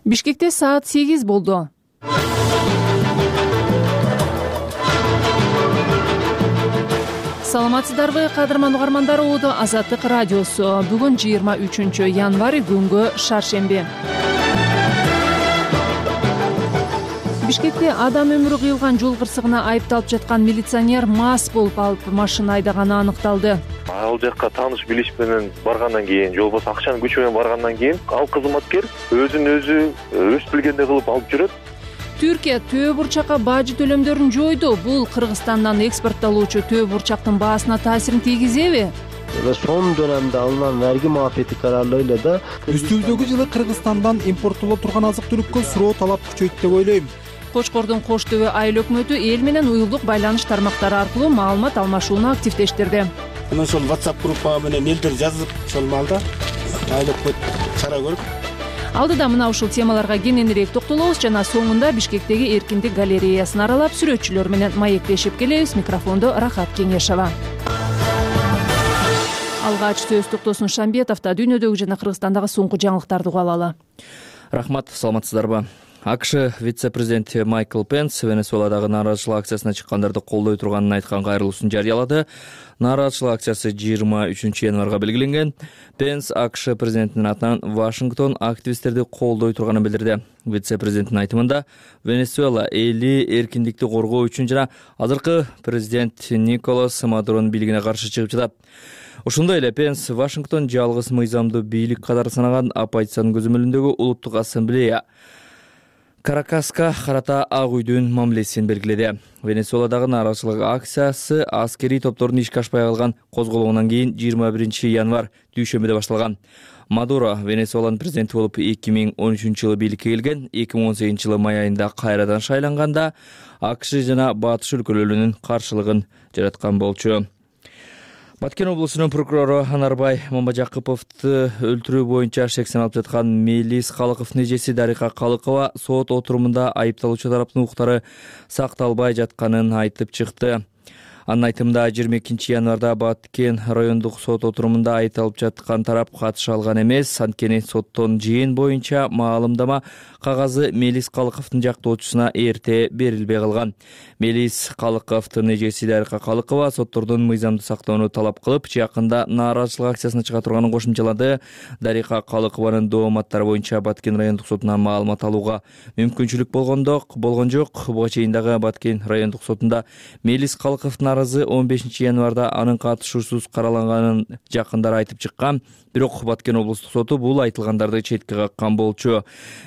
Бишкекте саат 8 болду. Саламатсыздарбы, кадырман угармандар, Оодо Азаттык радиосу. Бүгүн 23 январь, күнгө шаршемби. Бишкекте адам өмүрү кыйылган жол кырсыгына айыпталып жаткан милиционер мас болуп алып машина айдаганы аныкталды. Ал жакка тааныш билиш менен баргандан кийин, же болбосо акчанын күчү менен баргандан кийин ал кызматкер өзүн өзү өз билгендей кылып алып жүрөт. Түркия төө бурчакка бажы төлөмдөрүн жойду. Бул Кыргызстандан экспорттолуучу төө бурчактын баасына таасирин тийгизеби? Son dönemde alınan vergi muafiyeti kararlarıyla da Üstümüzdөгү жылы Кыргызстандан импорттоло турган азык-түлүккө суроо талап күчөйт деп ойлойм. Кочкордун Кош Төбө айыл өкмөтү эл менен уюлдук байланыш тармактары аркылуу маалымат алмашууну активдештирди. Мына ошол WhatsApp группа менен элдер жазып, ошол маалда айыл өкмөт чара көрүп. Алдыда мына ушул темаларга кененирээк токтолобуз жана соңунда Бишкектеги Эркиндик галереясын аралап сүрөтчүлөр менен маектешип келебиз. Микрофондо Рахат Кеңешова. Алгач сөз токтосун Шамбетовдо дүйнөдөгү жана Кыргызстандагы соңку жаңылыктарды угуп алалы. Рахмат, саламатсыздарбы. АКШ вице-президенти Майкл Пенс Венесуэладагы нааразычылык акциясына чыккандарды колдой турганын айткан кайрылуусун жарыялады. Нааразычылык акциясы 23 январга белгиленген. Пенс АКШ президентинин атынан Вашингтон активисттерди колдой турганын билдирди. Вице-президенттин айтымында Венесуэла эли эркиндикти коргоо үчүн жана азыркы президент Николас Мадуронун бийлигине каршы чыгып жатат. Ошондой эле Пенс Вашингтон жалгыз мыйзамдуу бийлик катары санаган оппозициянын көзөмөлүндөгү улуттук ассамблея Каракаска карата Ак үйдүн мамилесин белгиледи. Венесуэладагы нааразычылык акциясы аскерий топтордун ишке ашпай калган козголоңунан кийин 21 январь дүйшөмбүдө башталган. Мадуро Венесуэланын президенти болуп 2013 жылы бийликке келген, 2018 жылы май айында кайрадан шайланганда АКШ жана Батыш өлкөлөрүнүн каршылыгын жараткан болчу. Баткен облусунун прокурору Анарбай Мамажакыповду өлтүрүү боюнча шек саналып жаткан Мелис Калыковдун эжеси Дарика Калыкова сот отурумунда айыпталуучу тараптын укуктары сакталбай жатканын айтып чыкты. Анын айтымында 22 январда Баткен райондук сот отурумунда айыпталып жаткан тарап катыша алган эмес, анткени соттон жыйын боюнча маалымдама кагазы Мелис Калыковдун жактоочусуна эрте берилбей калган. Мелис Калыковдун эжеси Дарика Калыкова соттордун мыйзамды сактоону талап кылып, жакында нааразычылык акциясына чыга турганын кошумчалады. Дарика Калыкованын дооматтары боюнча Баткен райондук сотунан маалымат алууга мүмкүнчүлүк болгон жок. Буга чейин дагы Баткен райондук сотунда Мелис Калыковдун арызы 15 январда анын катышуусуз караланганын жакындары айтып чыккан. Бирок Баткен облустук соту бул айтылгандарды четке каккан болчу.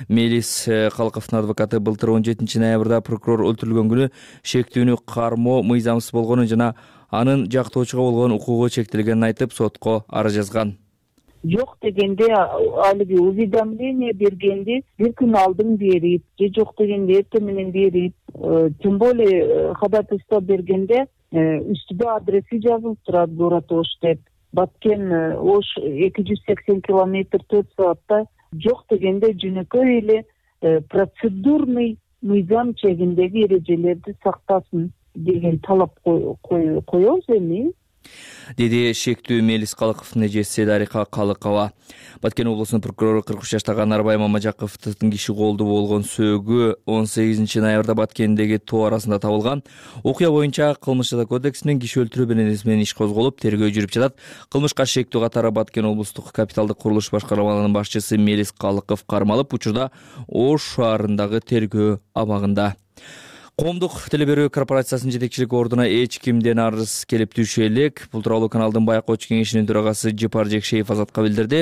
Мелис Калыковдун адвокаты былтыр 17 ноябрда прокурор өлтүрүлгөн күнү шектүүнү кармоо мыйзамсыз болгонун жана анын жактоочуга болгон укугу чектелгенин айтып сотко арыз жазган. Жок дегенде алиги уведомление бергенде бир күн алдын берип, же жок дегенде эртең менен берип, тем более ходатайство бергенде үстүдө адреси жазылып турат, город Ош деп. Баткен Ош 280 километр 4 саатта. Жок дегенде жөнөкөй эле процедурный мыйзам чегиндеги эрежелерди сактасын деген талап коебуз эми. Деди шектүү Мелис Калыковдун эжеси Дарика Калыкова. Баткен облусунун прокурору 43 жаштагы Анарбай Мамажакыповдун киши колду болгон сөөгү 18 ноябрда Баткендеги тоо арасында табылган. Окуя боюнча кылмыш жаза кодексинин киши өлтүрүү менен иш козголуп, тергөө жүрүп жатат. Кылмышка шектүү катары Баткен облустук капиталдык курулуш башкармалыгынын башчысы Мелис Калыков кармалып, учурда Ош шаарындагы тергөө абагында. Коомдук телеберүү корпорациясынын жетекчилик ордуна эч кимден арыз келип түшө элек. Бул тууралуу каналдын Байкоочу кеңешинин төрагасы Жипар Жекшеев Азатка билдирди.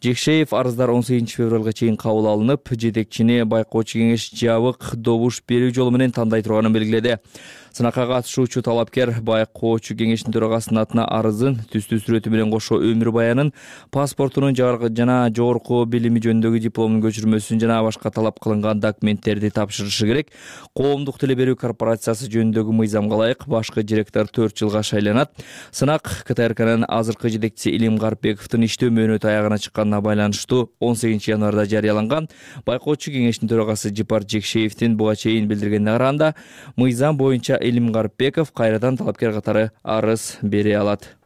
Жекшеев арыздар 18 февралга чейин кабыл алынып, жетекчини Байкоочу кеңеш жабык добуш берүү жолу менен тандай турганын белгиледи. Сынакка катышуучу талапкер Байкоочу кеңешинин төрагасынын атына арызын, түстүү сүрөтү менен кошо өмүр баянын, паспортунун жана жогорку билими жөнүндөгү дипломунун көчүрмөсүн жана башка талап кылынган документтерди тапшырышы керек. Коомдук телеберүү корпорациясы жөнүндөгү мыйзамга ылайык башкы директор 4 жылга шайланат. Сынак КТРКнын азыркы жетекчиси Илим Гарпековдун иштөө мөөнөтү аягына чыкканына байланыштуу 18 январда жарыяланган. Байкоочу кеңешинин төрагасы Жипар Жекшеевдин буга чейин билдиргенине караганда, мыйзам боюнча Илим Гарпеков кайрадан талапкер катары арыз бере алат.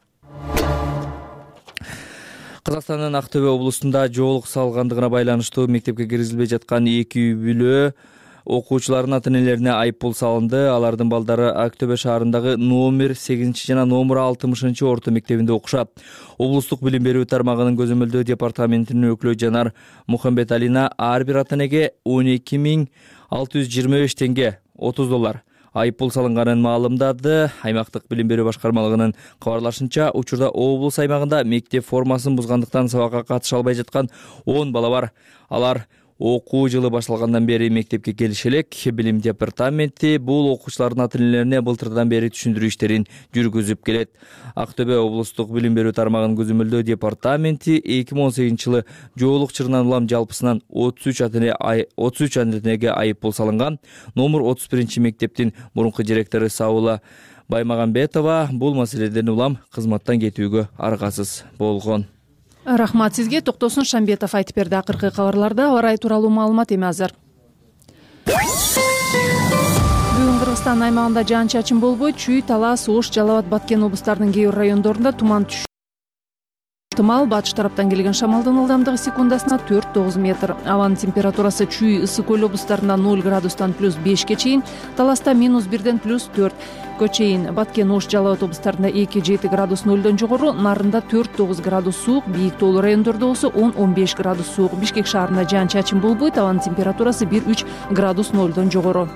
Казакстандын Ак Төбө облусунда жоолук салгандыгына байланыштуу мектепке киргизилбей жаткан 2 үй бүлө окуучулардын ата-энелерине айыппул салынды. Алардын балдары Ак Төбө шаарындагы номер 8 жана номер 60 орто мектебинде окушат. Облустук билим берүү тармагынын көзөмөлдөө департаментинин өкүлү Жанар Мухамбеталина ар бир ата-энеге 12.625 теңге $30 айыппул салынганын маалымдады. Аймактык билим берүү башкармалыгынын кабарлашынча, учурда облус аймагында мектеп формасын бузгандыктан сабакка катыша албай жаткан 10 бала бар. Алар окуу жылы башталгандан бери мектепке келиши элек. Билим департаменти бул окуучулардын ата-энелерине былтырдан бери түшүндүрүү иштерин жүргүзүп келет. Ак Төбө облустук билим берүү тармагынын көзөмөлдөө департаменти 2018-жылы жоолук чырынан улам жалпысынан 33 ата-энеге айыппул салынган. Номер 31 мектептин мурунку директору Саула Баймагамбетова бул маселеден улам кызматтан кетүүгө аргасыз болгон. Рахмат сизге. Токтосун Шамбетов айтып берди. Акыркы кабарларда аба ырайы тууралуу маалымат эми азыр. Бүгүн Кыргызстан аймагында жаан-чачын болбойт. Чүй, Талас, Ош, Жалал Абад, Баткен облустарынын кээ бир райондорунда туман түшүшү ыктымал. Батыш тараптан келген шамалдын ылдамдыгы секундасына 4-9 метр. Абанын температурасы Чүй, Ысык Көл облустарында 0 градустан +5 чейин, Таласта -1-ден +4 чейин, Баткен, Ош, Жалал Абад облустарында 2-7 градус 0дон жогору, Нарында 4-9 градус суук, бийик тоолуу райондордо болсо 10-15 градус суук. Бишкек шаарында жаан-чачын болбойт. Абанын температурасы 1-3 градус 0дон жогору.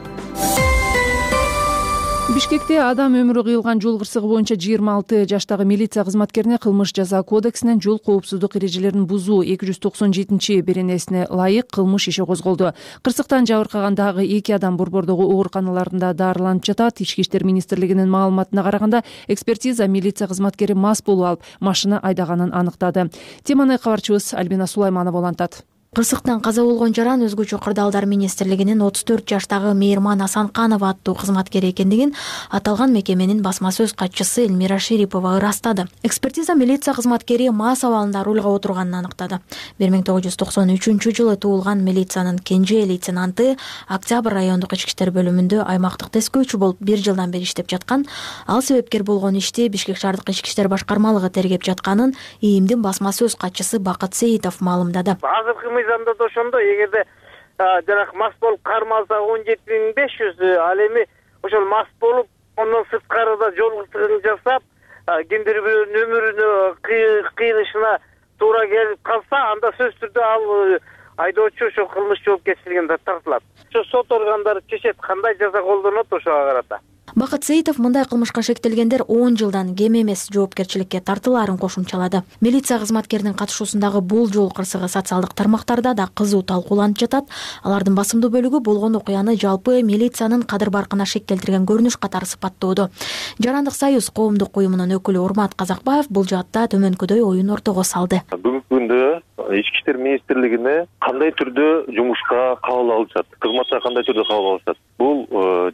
Бишкекте адам өмүрү кыйылган жол кырсыгы боюнча 26 жаштагы милиция кызматкерине кылмыш жаза кодексинен жол коопсуздук эрежелерин бузуу 297-беренесине ылайык кылмыш иши козголду. Кырсыктан жабыркаган дагы 2 адам борбордогу ооруканаларында дарыланып жатат. Ички иштер министрлигинин маалыматына караганда, экспертиза милиция кызматкери мас болуп алып машина айдаганын аныктады. Теманы кабарчыбыз Альбина Сулайманова улантат. Кырсыктан каза болгон жаран өзгөчө кырдаалдар министрлигинин 34 жаштагы Мейирман Асанканова аттуу кызматкери экендигин аталган мекеменин басма сөз катчысы Элмира Шерипова ырастады. Экспертиза милиция кызматкери мас абалында рулга отурганын аныктады. 1993-жылы туулган милициянын кенже лейтенанты Октябрь райондук ички иштер бөлүмүндө аймактык тескөөчү болуп 1 жылдан бери иштеп жаткан. Ал себепкер болгон ишти Бишкек шаардык ички иштер башкармалыгы тергеп жатканын ИИМдин басма сөз катчысы Бакыт Сейитов маалымдады. Мыйзамда да ошондо, эгерде жанагы мас болуп кармалса 17.500, ал эми ошол мас болуп ондон сырткарыда жол кырсыгын жасап, кимдир бирөөнүн өмүрүнө кыйылышына туура келип калса, анда сөзсүз түрдө ал айдоочу ошо кылмыш жоопкерчилигине тартылат. Ошо сот органдары чечет кандай жаза колдонот ошого карата. Бакыт Сейитов мындай кылмышка шектелгендер 10 жылдан кем эмес жоопкерчиликке тартылаарын кошумчалады. Милиция кызматкеринин катышуусундагы бул жол кырсыгы социалдык тармактарда да кызуу талкууланып жатат. Алардын басымдуу бөлүгү болгон окуяны жалпы милициянын кадыр баркына шек келтирген көрүнүш катары сыпаттоодо. Жарандык союз коомдук уюмунун өкүлү Урмат Казакбаев бул жаатта төмөнкүдөй оюн ортого салды. Бүгүнкү күндө ички иштер министрлигине кандай түрдө жумушка кабыл алышат, кызматка кандай түрдө кабыл алышат? Бул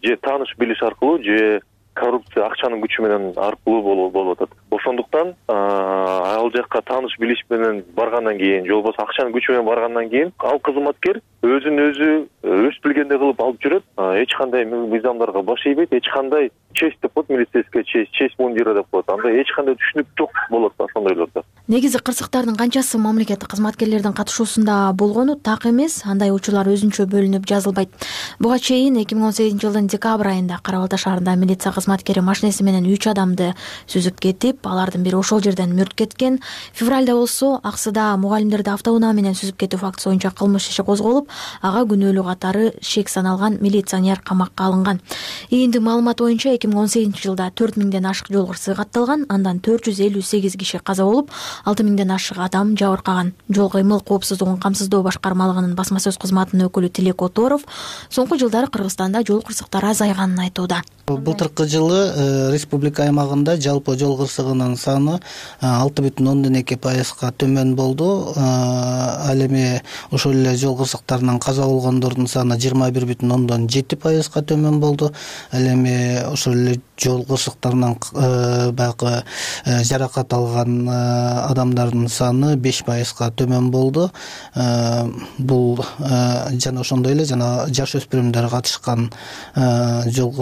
же тааныш билиш аркылуу, же коррупция акчанын күчү менен аркылуу болуп атат. Ошондуктан ал жакка тааныш билиш менен баргандан кийин, же болбосо акчанын күчү менен баргандан кийин, ал кызматкер өзүн өзү өз билгендей кылып алып жүрөт. Эч кандай мыйзамдарга баш ийбейт, эч кандай честь деп коет, милицейская честь мундира деп коет. Анда эч кандай түшүнүк жок болот ошондойлордо. Негизи кырсыктардын канчасы мамлекеттик кызматкерлердин катышуусунда болгону так эмес, андай учурлар өзүнчө бөлүнүп жазылбайт. Буга чейин 2018-жылдын декабрь айында Кара Балта шаарында милиция кызматкери машинеси менен 3 адамды сүзүп кетип, алардын бири ошол жерден мүрт кеткен. Февралда болсо Аксыда мугалимдерди автоунаа менен сүзүп кетүү фактысы боюнча кылмыш иши козголуп, ага күнөөлүү катары шек саналган милиционер камакка алынган. ИИМдин маалыматы боюнча 2018-жылда 4000ден ашык жол кырсыгы катталган, андан 458 киши каза болуп, 6000ден ашык адам жабыркаган. Жол кыймыл коопсуздугун камсыздоо башкармалыгынын басма сөз кызматынын өкүлү Тилек Оторов соңку жылдары Кыргызстанда жол кырсыктары азайганын айтууда. Былтыркы жылы республика аймагында жалпы жол кырсыгынын саны 6,2% төмөн болду. Ал эми ошол эле жол кырсыктарынан каза болгондордун саны 21,7% төмөн болду. Ал эми ошол эле жол кырсыктарынан баягы жаракат алган адамдардын саны 5% төмөн болду. Бул жана ошондой эле жана жаш өспүрүмдөр катышкан жол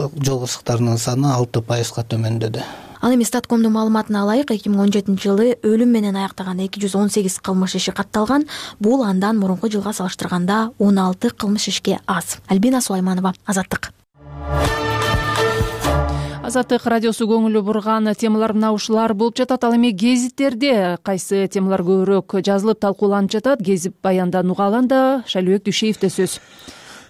кырсыктарынын саны 6% төмөндөдү. Ал эми Статкомдун маалыматына ылайык 2017-жылы өлүм менен аяктаган 218 кылмыш иши катталган. Бул андан мурунку жылга салыштырганда 16 кылмыш ишке аз. Альбина Сулайманова, Азаттык. Азаттык радиосу көңүлү бурган темалар мына ушулар болуп жатат. Ал эми гезиттерде кайсы темалар көбүрөөк жазылып талкууланып жатат? Гезит баяндан уга алганда Шайлообек Дүйшеевде сөз.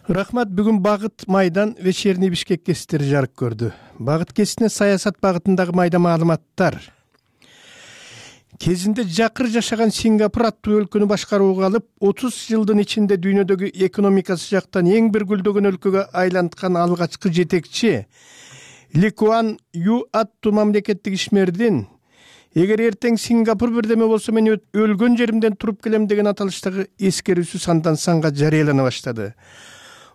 Рахмат. Бүгүн Багыт майдан вечерний Бишкек гезиттери жарык көрдү. Багыт гезитине саясат багытындагы майда маалыматтар. Кезинде жакыр жашаган Сингапур аттуу өлкөнү башкарууга алып, 30 жылдын ичинде дүйнөдөгү экономикасы жактан эң бир гүлдөгөн өлкөгө айланткан алгачкы жетекчи Ли Куан Ю аттуу мамлекеттик ишмердин эгер эртең Сингапур бирдеме болсо мен өлгөн жеримден туруп келем деген аталыштагы эскерүүсү сандан санга жарыялана баштады.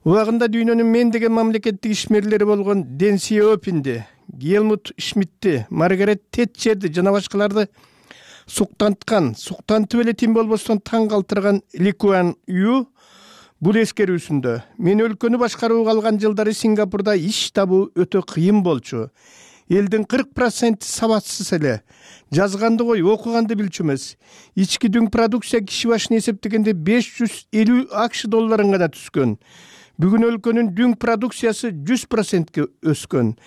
Убагында дүйнөнүн мен деген мамлекеттик ишмерлери болгон Дэн Сяопинди, Гелмут Шмидти, Маргарет Тэтчерди жана башкаларды суктантып эле тим болбостон таң калтырган Ли Куан Ю бул эскерүүсүндө мен өлкөнү башкарууга алган жылдары Сингапурда иш табуу өтө кыйын болчу. Элдин 40% сабатсыз эле. Жазганды кой, окуганды билчү эмес. Ички дүң продукция киши башына эсептегенде 550 АКШ долларын гана түскөн. Бүгүн өлкөнүн дүң продукциясы 100%ке өскөн.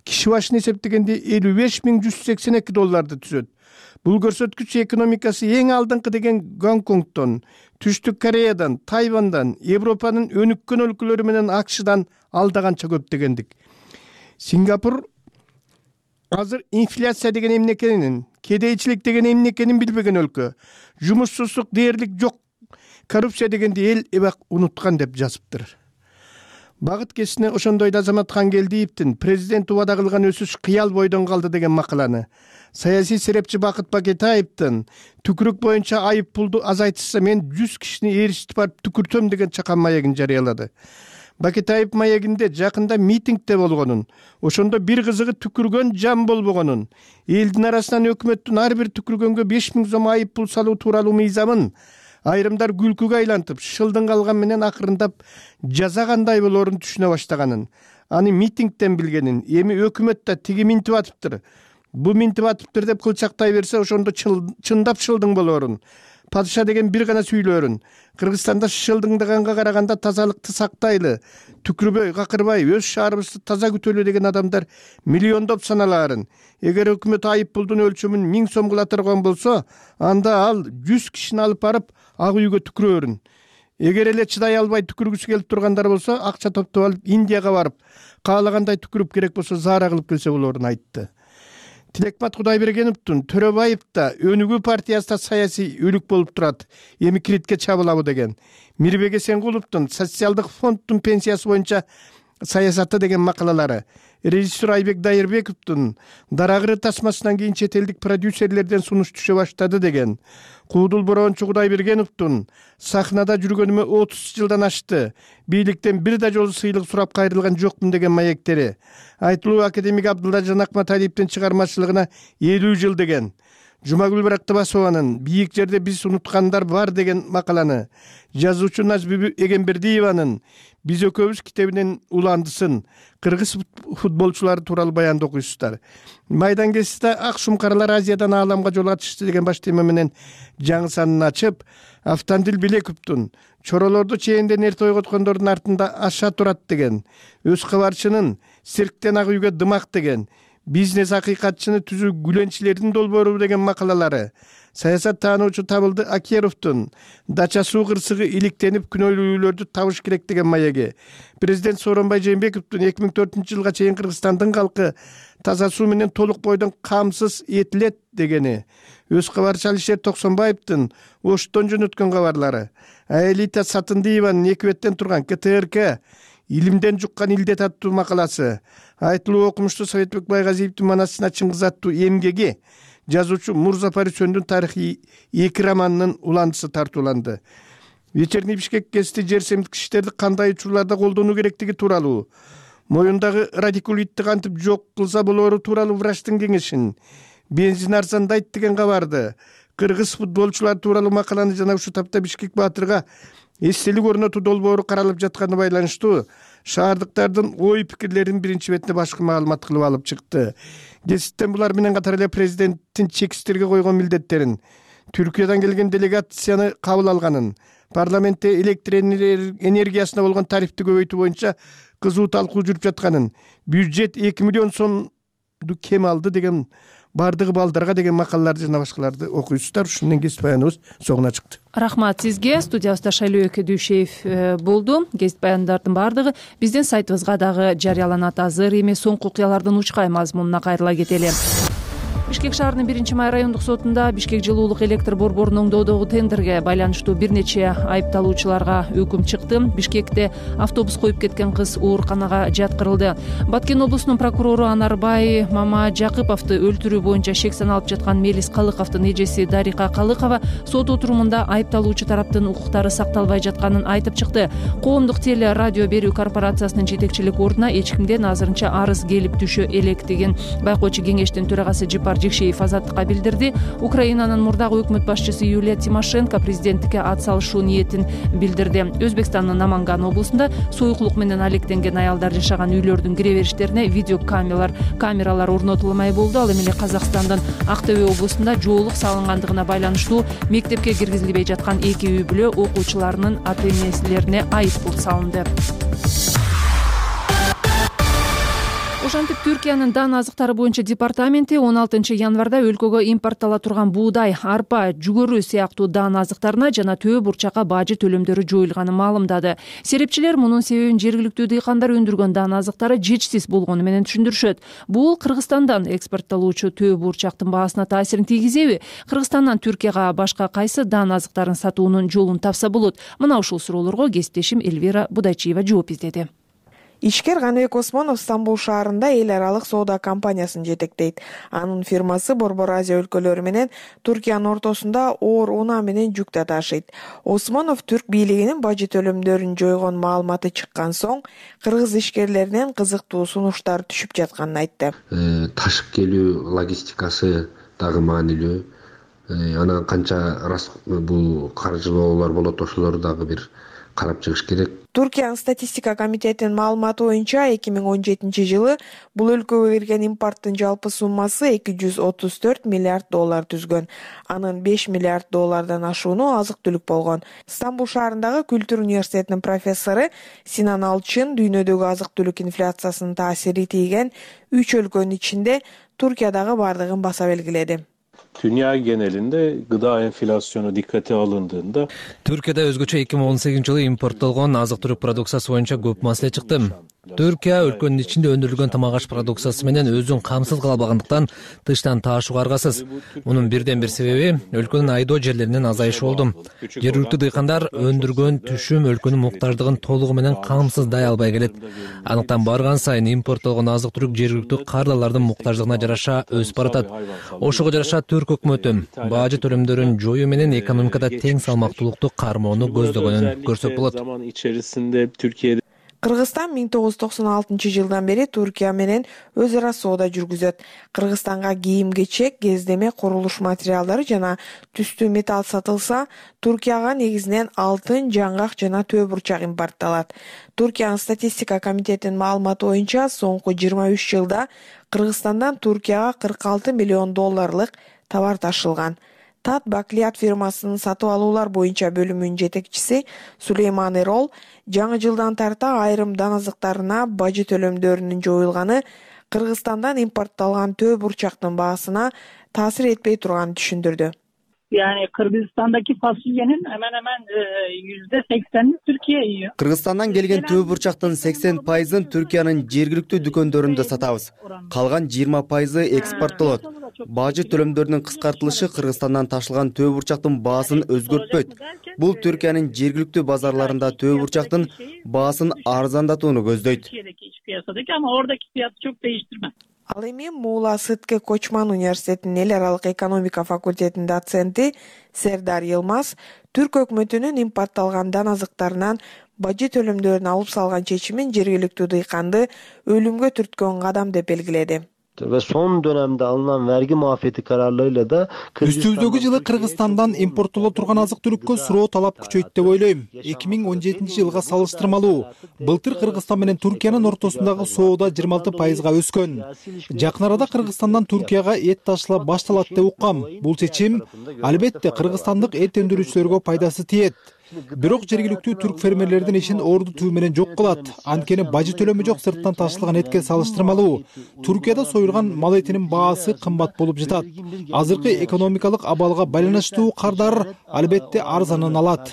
Киши башына эсептегенде 55.182 долларды түзөт. Бул көрсөткүч экономикасы эң алдыңкы деген Гонконгдон, Түштүк Кореядан, Тайвандан, Европанын өнүккөн өлкөлөрү менен АКШдан алдаганча көп дегендик. Сингапур азыр инфляция деген эмне экенин, кедейчилик деген эмне экенин билбеген өлкө. Жумушсуздук дээрлик жок, коррупция дегенди эл эбак унуткан деп жазыптыр. Багыт гезитине ошондой да Азамат Хангелдиевдин президент убада кылган өсүш кыял бойдон калды деген макаланы, саясий серепчи Бакыт Бакетаевдин түкүрүк боюнча айып пулду азайтышса мен 100 кишини ээрчитип барып түкүртөм деген чакан маегин жарыялады. Бакетаев маегинде жакында митингде болгонун, ошондо бир кызыгы түкүргөн жан болбогонун, элдин арасынан өкмөттүн ар бир түкүргөнгө 5000 сом айып пул салуу тууралуу мыйзамын айрымдар күлкүгө айлантып, шылдың калган менен акырындап жаза кандай болоорун түшүнө баштаганын, аны митингден билгенин, эми өкмөт да тиги минтип атыптыр, бу минтип атыптыр деп кылчактай берсе, ошондо чындап шылдың болоорун, падыша деген бир гана сүйлөөрүн, Кыргызстанда шылдыңдаганга караганда тазалыкты сактайлы, түкүрбөй, какырбай, өз шаарыбызды таза күтөлү деген адамдар миллиондоп саналаарын. Эгер өкмөт айып пулдун өлчөмүн 1000 сом кылатырган болсо, анда ал 100 кишини алып барып ак үйгө түкүрөөрүн. Эгер эле чыдай албай түкүргүсү келип тургандар болсо, акча топтоп алып Индияга барып, каалагандай түкүрүп керек болсо заара кылып келсе болоорун айтты. Тилекмат Кудайбергеновдун Төрөбаев да Өнүгүү партиясында саясий өлүк болуп турат, эми киритке чабылабы деген. Мирбек Эсенгуловдун социалдык фонддун пенсиясы боюнча саясаты деген макалалары, режиссер Айбек Дайырбековдун Дарагыры тасмасынан кийин чет элдик продюсерлерден сунуш түшө баштады деген. Куудул Борончу Кудайбергеновдун сахнада жүргөнүмө 30 жылдан ашты, бийликтен бир да жолу сыйлык сурап кайрылган жокмун деген маектери. Айтылуу академик Абдуллажан Акматалиевдин чыгармачылыгына 50 жыл деген. Жумагүл Барактыбасованын бийик жерде биз унуткандар бар деген макаланы, жазуучу Назбүбү Эгембердиеванын биз экөөбүз китебинен уландысын, кыргыз футболчулары тууралуу баянды окуйсуздар. Майдан гезитте ак шумкарлар Азиядан ааламга жол ачышты деген баш тема менен жаңы санын ачып, Автандил Билековдун чоролорду чээнден эрте ойготкондордун артында аша турат деген, өз кабарчынын цирктен ак үйгө дымак деген, бизнес акыйкатчыны түзүү гүленчилердин долбоору деген макалалары, саясат таануучу Табылды Акеровдун дача суу кырсыгы иликтенип күнөөлүүлөрдү табыш керек деген маеги, президент Сооронбай Жээнбековдун 2004 жылга чейин Кыргызстандын калкы таза суу менен толук бойдон камсыз этилет дегени, өз кабарчы Алишер Токсонбаевдин Оштон жөнөткөн кабарлары, Аэлита Сатындиеванын 2 беттен турган КТРК илимден жуккан илдет аттуу макаласы, айтылуу окумуштуу Советбек Байгазиевдин Манасына Чыңгыз аттуу эмгеги, жазуучу Мурза Парисөндүн тарыхый 2 романынын уландысы тартууланды. Вечерний Бишкек гезити жер семирткичтерди кандай учурларда колдонуу керектиги тууралуу, моюндагы радикулитти кантип жок кылса болоору тууралуу врачтын кеңешин, бензин арзандайт деген кабарды, кыргыз футболчулар тууралуу макаланы жана ушу тапта Бишкек Баатырга эстелик орнотуу долбоору каралып жатканы байланыштуу шаардыктардын ой пикирлерин биринчи бетине башкы маалымат кылып алып чыкты. Гезиттен булар менен катар эле президенттин чексиздерге койгон милдеттерин, Түркиядан келген делегацияны кабыл алганын, парламентте электр энергиясына болгон тарифти көбөйтүү боюнча кызуу талкуу жүрүп жатканын, бюджет 2 миллион сомду кем алды деген бардыгы балдарга деген макалаларды жана башкаларды окуйсуздар. Ушун менен гезит баяныбыз соңуна чыкты. Рахмат сизге. Студиябызда Шайлоо Дүйшеев болду. Гезит баяндардын бардыгы биздин сайтыбызга дагы жарыяланат. Азыр эми соңку окуялардын учкай мазмунуна кайрыла кетели. Бишкек шаарынын 1-май райондук сотунда Бишкек жылуулук электр борборун оңдоодогу тендерге байланыштуу бир нече айыпталуучуларга өкүм чыкты. Бишкекте автобус коюп кеткен кыз ооруканага жаткырылды. Баткен облусунун прокурору Анарбай Мамажакыповду өлтүрүү боюнча шек саналып жаткан Мелис Калыковдун эжеси Дарика Калыкова сот отурумунда айыпталуучу тараптын укуктары сакталбай жатканын айтып чыкты. Коомдук теле радио берүү корпорациясынын жетекчилик ордуна эч кимден азырынча арыз келип түшө электигин байкоочу кеңештин төрагасы Жипар Жекшеев азаттыкка билдирди. Украинанын мурдагы өкмөт башчысы Юлия Тимошенко президенттикке ат салышуу ниетин билдирди. Өзбекстандын Наманган облусунда союклук менен алектенген аялдар жашаган үйлөрдүн кире бериштерине видео камералар орнотулмай болду. Ал эми эле Казакстандын Актөбө облусунда жоолук салынгандыгына байланыштуу мектепке киргизилбей жаткан 2 үй бүлө окуучуларынын ата-энелерине айыппул салынды. Ошентип Түркиянын дан азыктары боюнча департаменти 16 январда өлкөгө импорттала турган буудай, арпа, жүгөрү сыяктуу дан азыктарына жана төө бурчакка бажы төлөмдөрү жоюлганын маалымдады. Серепчилер мунун себебин жергиликтүү дыйкандар өндүргөн дан азыктары жетишсиз болгону менен түшүндүрүшөт. Бул Кыргызстандан экспорттолуучу төө бурчактын баасына таасирин тийгизеби? Кыргызстандан Түркияга башка кайсы дан азыктарын сатуунун жолун тапса болот? Мына ушул суроолорго кесиптешим Эльвира Будайчиева жооп издеди. Ишкер Каныбек Осмонов Стамбул шаарында эл аралык соода компаниясын жетектейт. Анын фирмасы Борбор Азия өлкөлөрү менен Түркиянын ортосунда оор унаа менен жүк да ташыйт. Осмонов түрк бийлигинин бажы төлөмдөрүн жойгон маалыматы чыккан соң кыргыз ишкерлеринен кызыктуу сунуштар түшүп жатканын айтты. Ташып келүү логистикасы дагы маанилүү. Анан канча бул каржылоолор болот, ошолорду дагы бир карап чыгыш керек. Түркиянын статистика комитетинин маалыматы боюнча 2017 жылы бул өлкөгө кирген импорттун жалпы суммасы 234 миллиард доллар түзгөн. Анын 5 миллиард доллардан ашууну азык-түлүк болгон. Стамбул шаарындагы Күлтүр университетинин профессору Синан Алчын дүйнөдөгү азык-түлүк инфляциясынын таасири тийген 3 өлкөнүн ичинде Түркиядагы бардыгын баса белгиледи. Dünya genelinde gıda enflasyonu dikkate alındığında Türkiye'de özgөчө 2018 жылы импорттолгон азык-түлүк продукциясы боюнча көп маселе чыкты. Түркия өлкөнүн ичинде өндүрүлгөн тамак-аш продукциясы менен өзүн камсыз кыла албагандыктан тыштан таашууга аргасыз. Мунун бирден бир себеби өлкөнүн айдоо жерлеринин азайышы болду. Жергиликтүү дыйкандар өндүргөн түшүм өлкөнүн муктаждыгын толугу менен камсыздай албай келет. Андыктан барган сайын импорттолгон азык-түлүк жергиликтүү кардалардын муктаждыгына жараша өсүп баратат. Ошого жараша Түрк өкмөтү бажы төлөмдөрүн жоюу менен экономикада тең салмактуулукту кармоону көздөгөнүн көрсөк болот. Кыргызстан 1996 жылдан бери Түркия менен өз ара соода жүргүзөт. Кыргызстанга кийим-кечек, кездеме курулуш материалдары жана түстүү металл сатылса, Түркияга негизинен алтын, жаңгак жана төө бурчак импортталат. Түркиянын статистика комитетинин маалыматы боюнча соңку 23 жылда Кыргызстандан Түркияга 46 миллион долларлык товар ташылган. Тат Баклият фирмасынын сатып алуулар боюнча бөлүмүнүн жетекчиси Сулейман Эрол жаңы жылдан тарта айрым дан азыктарына бажы төлөмдөрүнүн жоюлганы Кыргызстандан импортталган төө бурчактын баасына таасир этпей турганын түшүндүрдү. Yani Kırgızistan'daki fasulyenin hemen hemen %80'ini Türkiye yiyor. Kırgızstandan kelген tөө бурчактын 80%ын Түркиянын жергиликтүү дүкөндөрүндө сатабыз. Калган 20%ы экспорттолот. Бажы төлөмдөрүнүн кыскартылышы Кыргызстандан ташылган төө бурчактын баасын өзгөртпөйт. Бул Түркиянын жергиликтүү базарларында төө бурчактын баасын арзандатууну көздөйт. Ama oradaki fiyatı çok değiştirmez. Ал эми Муула Сытке Кочман университетинин эл аралык экономика факультетинин доценти Сердар Йылмаз Түрк өкмөтүнүн импортталган дан азыктарынан бажы төлөмдөрүн алып салган чечимин жергиликтүү дыйканды өлүмгө түрткөн кадам деп белгиледи. ve son dönemde alınan vergi muafiyeti kararlarıyla da үстүбүздөгү жылы Кыргызстандан импорттоло турган азык-түлүккө суроо талап күчөйт деп ойлойм. 2017 жылга салыштырмалуу былтыр Кыргызстан менен Түркиянын ортосундагы соода 26%га өскөн. Жакын арада Кыргызстандан Түркияга эт ташыла башталат деп уккам. Бул чечим албетте кыргызстандык эт өндүрүүчүлөргө пайдасы тиет. Бирок жергиликтүү түрк фермерлердин ишин орду түбү менен жок кылат. Анткени бажы төлөмү жок сырттан ташылган этке салыштырмалуу Түркияда союлган мал этинин баасы кымбат болуп жатат. Азыркы экономикалык абалга байланыштуу кардар албетте арзанын алат.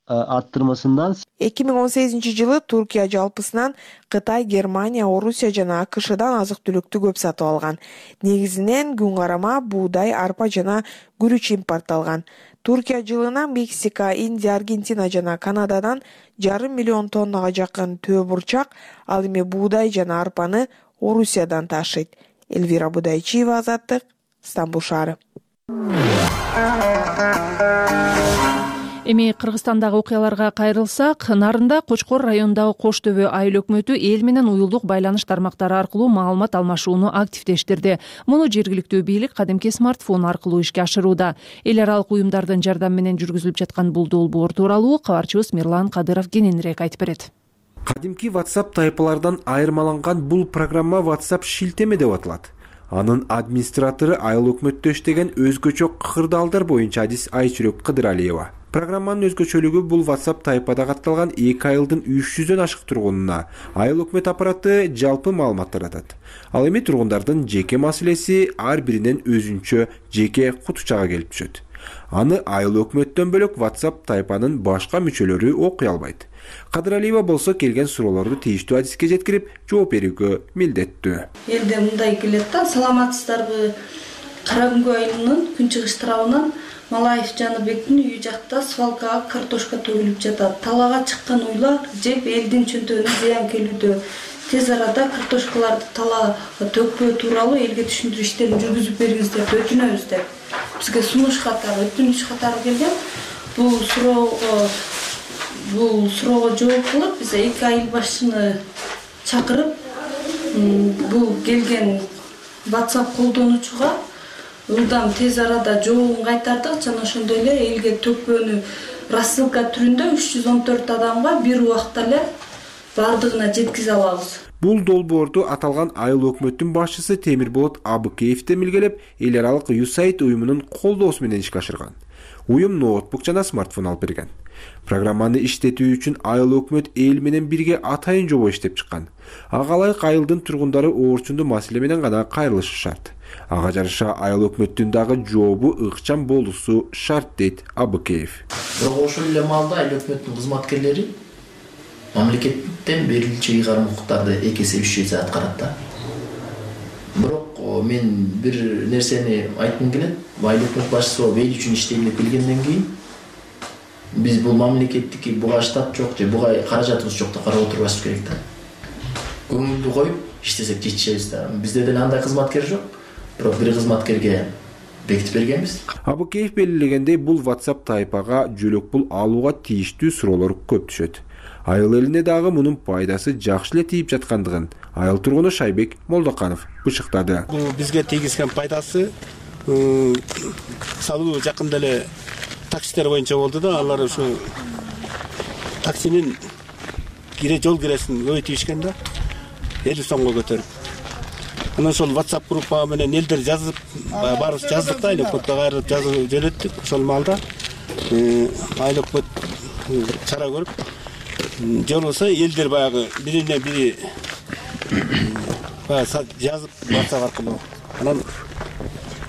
Arttırmasından 2018 жылы Туркия жалпысынан Кытай, Германия, Орусия жана АКШдан азык-түлүктү көп сатып алган. Негизинен күн карама, буудай, арпа жана күрүч импортталган. Туркия жылына Мексика, Индия, Аргентина жана Канададан 5,5 миллион тоннага жакын төө бурчак, ал эми буудай жана арпаны Орусиядан ташыйт. Элвира Будайчиева, Азаттык, Стамбул шаары. Эми Кыргызстандагы окуяларга кайрылсак, Нарында Кочкор районундагы Кош Төбө айыл өкмөтү эл менен уюлдук байланыш тармактары аркылуу маалымат алмашууну активдештирди. Муну жергиликтүү бийлик кадимки смартфон аркылуу ишке ашырууда. Эл аралык уюмдардын жардамы менен жүргүзүлүп жаткан бул долбоор тууралуу кабарчыбыз Мирлан Кадыров кененирээк айтып берет. Кадимки WhatsApp тайпалардан айырмаланган бул программа WhatsApp шилтеме деп аталат. Анын администратору айыл өкмөттө иштеген өзгөчө кырдаалдар боюнча Адис Айчүрөк Кыдыралиева. Программанын өзгөчөлүгү бул WhatsApp тайпада катталган 2 айылдын 300дөн ашык тургунуна айыл өкмөт аппараты жалпы маалымат таратат. Ал эми тургундардын жеке маселеси ар биринен өзүнчө жеке кутучага келип түшөт. Аны айыл өкмөттөн бөлөк WhatsApp тайпанын башка мүчөлөрү окуй албайт. Кадыралиева болсо келген суроолорду тийиштүү адиске жеткирип, жооп берүүгө милдеттүү. Элде мындай келет да, саламатсыздарбы? Каракүнгөй айылынын күнчыгыш тарабынан Малаев Жаныбектин үйү жакта свалкага картошка төгүлүп жатат. Талага чыккан уйлар жеп элдин чөнтөгүнө зыян келүүдө. Тез арада картошкаларды талага төкпөө тууралуу элге түшүндүрүү иштерин жүргүзүп бериңиздер деп өтүнөбүз деп. Бизге сунуш катары, өтүнүч катары келген. Бул суроого жооп кылып, биз 2 айыл башчыны чакырып, бул келген WhatsApp колдонуучуга ылдам тез арада жообун кайтардык жана ошондой эле элге төкпөнү рассылка түрүндө 314 адамга бир убакта эле бардыгына жеткизе алабыз. Бул долбоорду аталган айыл өкмөттүн башчысы Темирболот Абыкеев демилгелеп, эл аралык USAID уюмунун колдоосу менен ишке ашырган. Уюм ноутбук жана смартфон алып берген. Программаны иштетүү үчүн айыл өкмөт эл менен бирге атайын жобо иштеп чыккан. Ага ылайык айылдын тургундары оорчундуу маселе менен гана кайрылышы шарт. Ага жараша айыл өкмөттүн дагы жообу ыкчам болуусу шарт дейт Абыкеев. Бирок ошол эле маалда айыл өкмөттүн кызматкерлери мамлекеттен берилчү ыйгарым укуктарды 2 эсе 3 эсе аткарат да. Бирок мен бир нерсени айткым келет. Айыл өкмөт башчысы болуп эл үчүн иштейм деп келгенден кийин биз бул мамлекеттики буга штат жок же буга каражатыбыз жок деп карап отурбашыбыз керек да. Көңүлдү коюп иштесек жетишебиз да. Бизде деле андай кызматкер жок. Бирок бир кызматкерге бекитип бергенбиз. Абыкеев белгилегендей, бул WhatsApp тайпага жөлөк пул алууга тийиштүү суроолор көп түшөт. Айыл элине дагы мунун пайдасы жакшы эле тийип жаткандыгын айыл тургуну Шайбек Молдоканов бышыктады. Бул бизге тийгизген пайдасы салуу жакында эле таксилер боюнча болду да, алар ушу таксинин жол киресин көбөйтүшкөн да, 50 сомго көтөрүп. Анан ошол WhatsApp группа менен элдер жазып, баарыбыз жаздык да, өкмөткө кайрылып жазып жөнөттүк. Ошол маалда айыл өкмөт чара көрүп, же болбосо элдер баягы бирине бири жазып WhatsApp аркылуу. Анан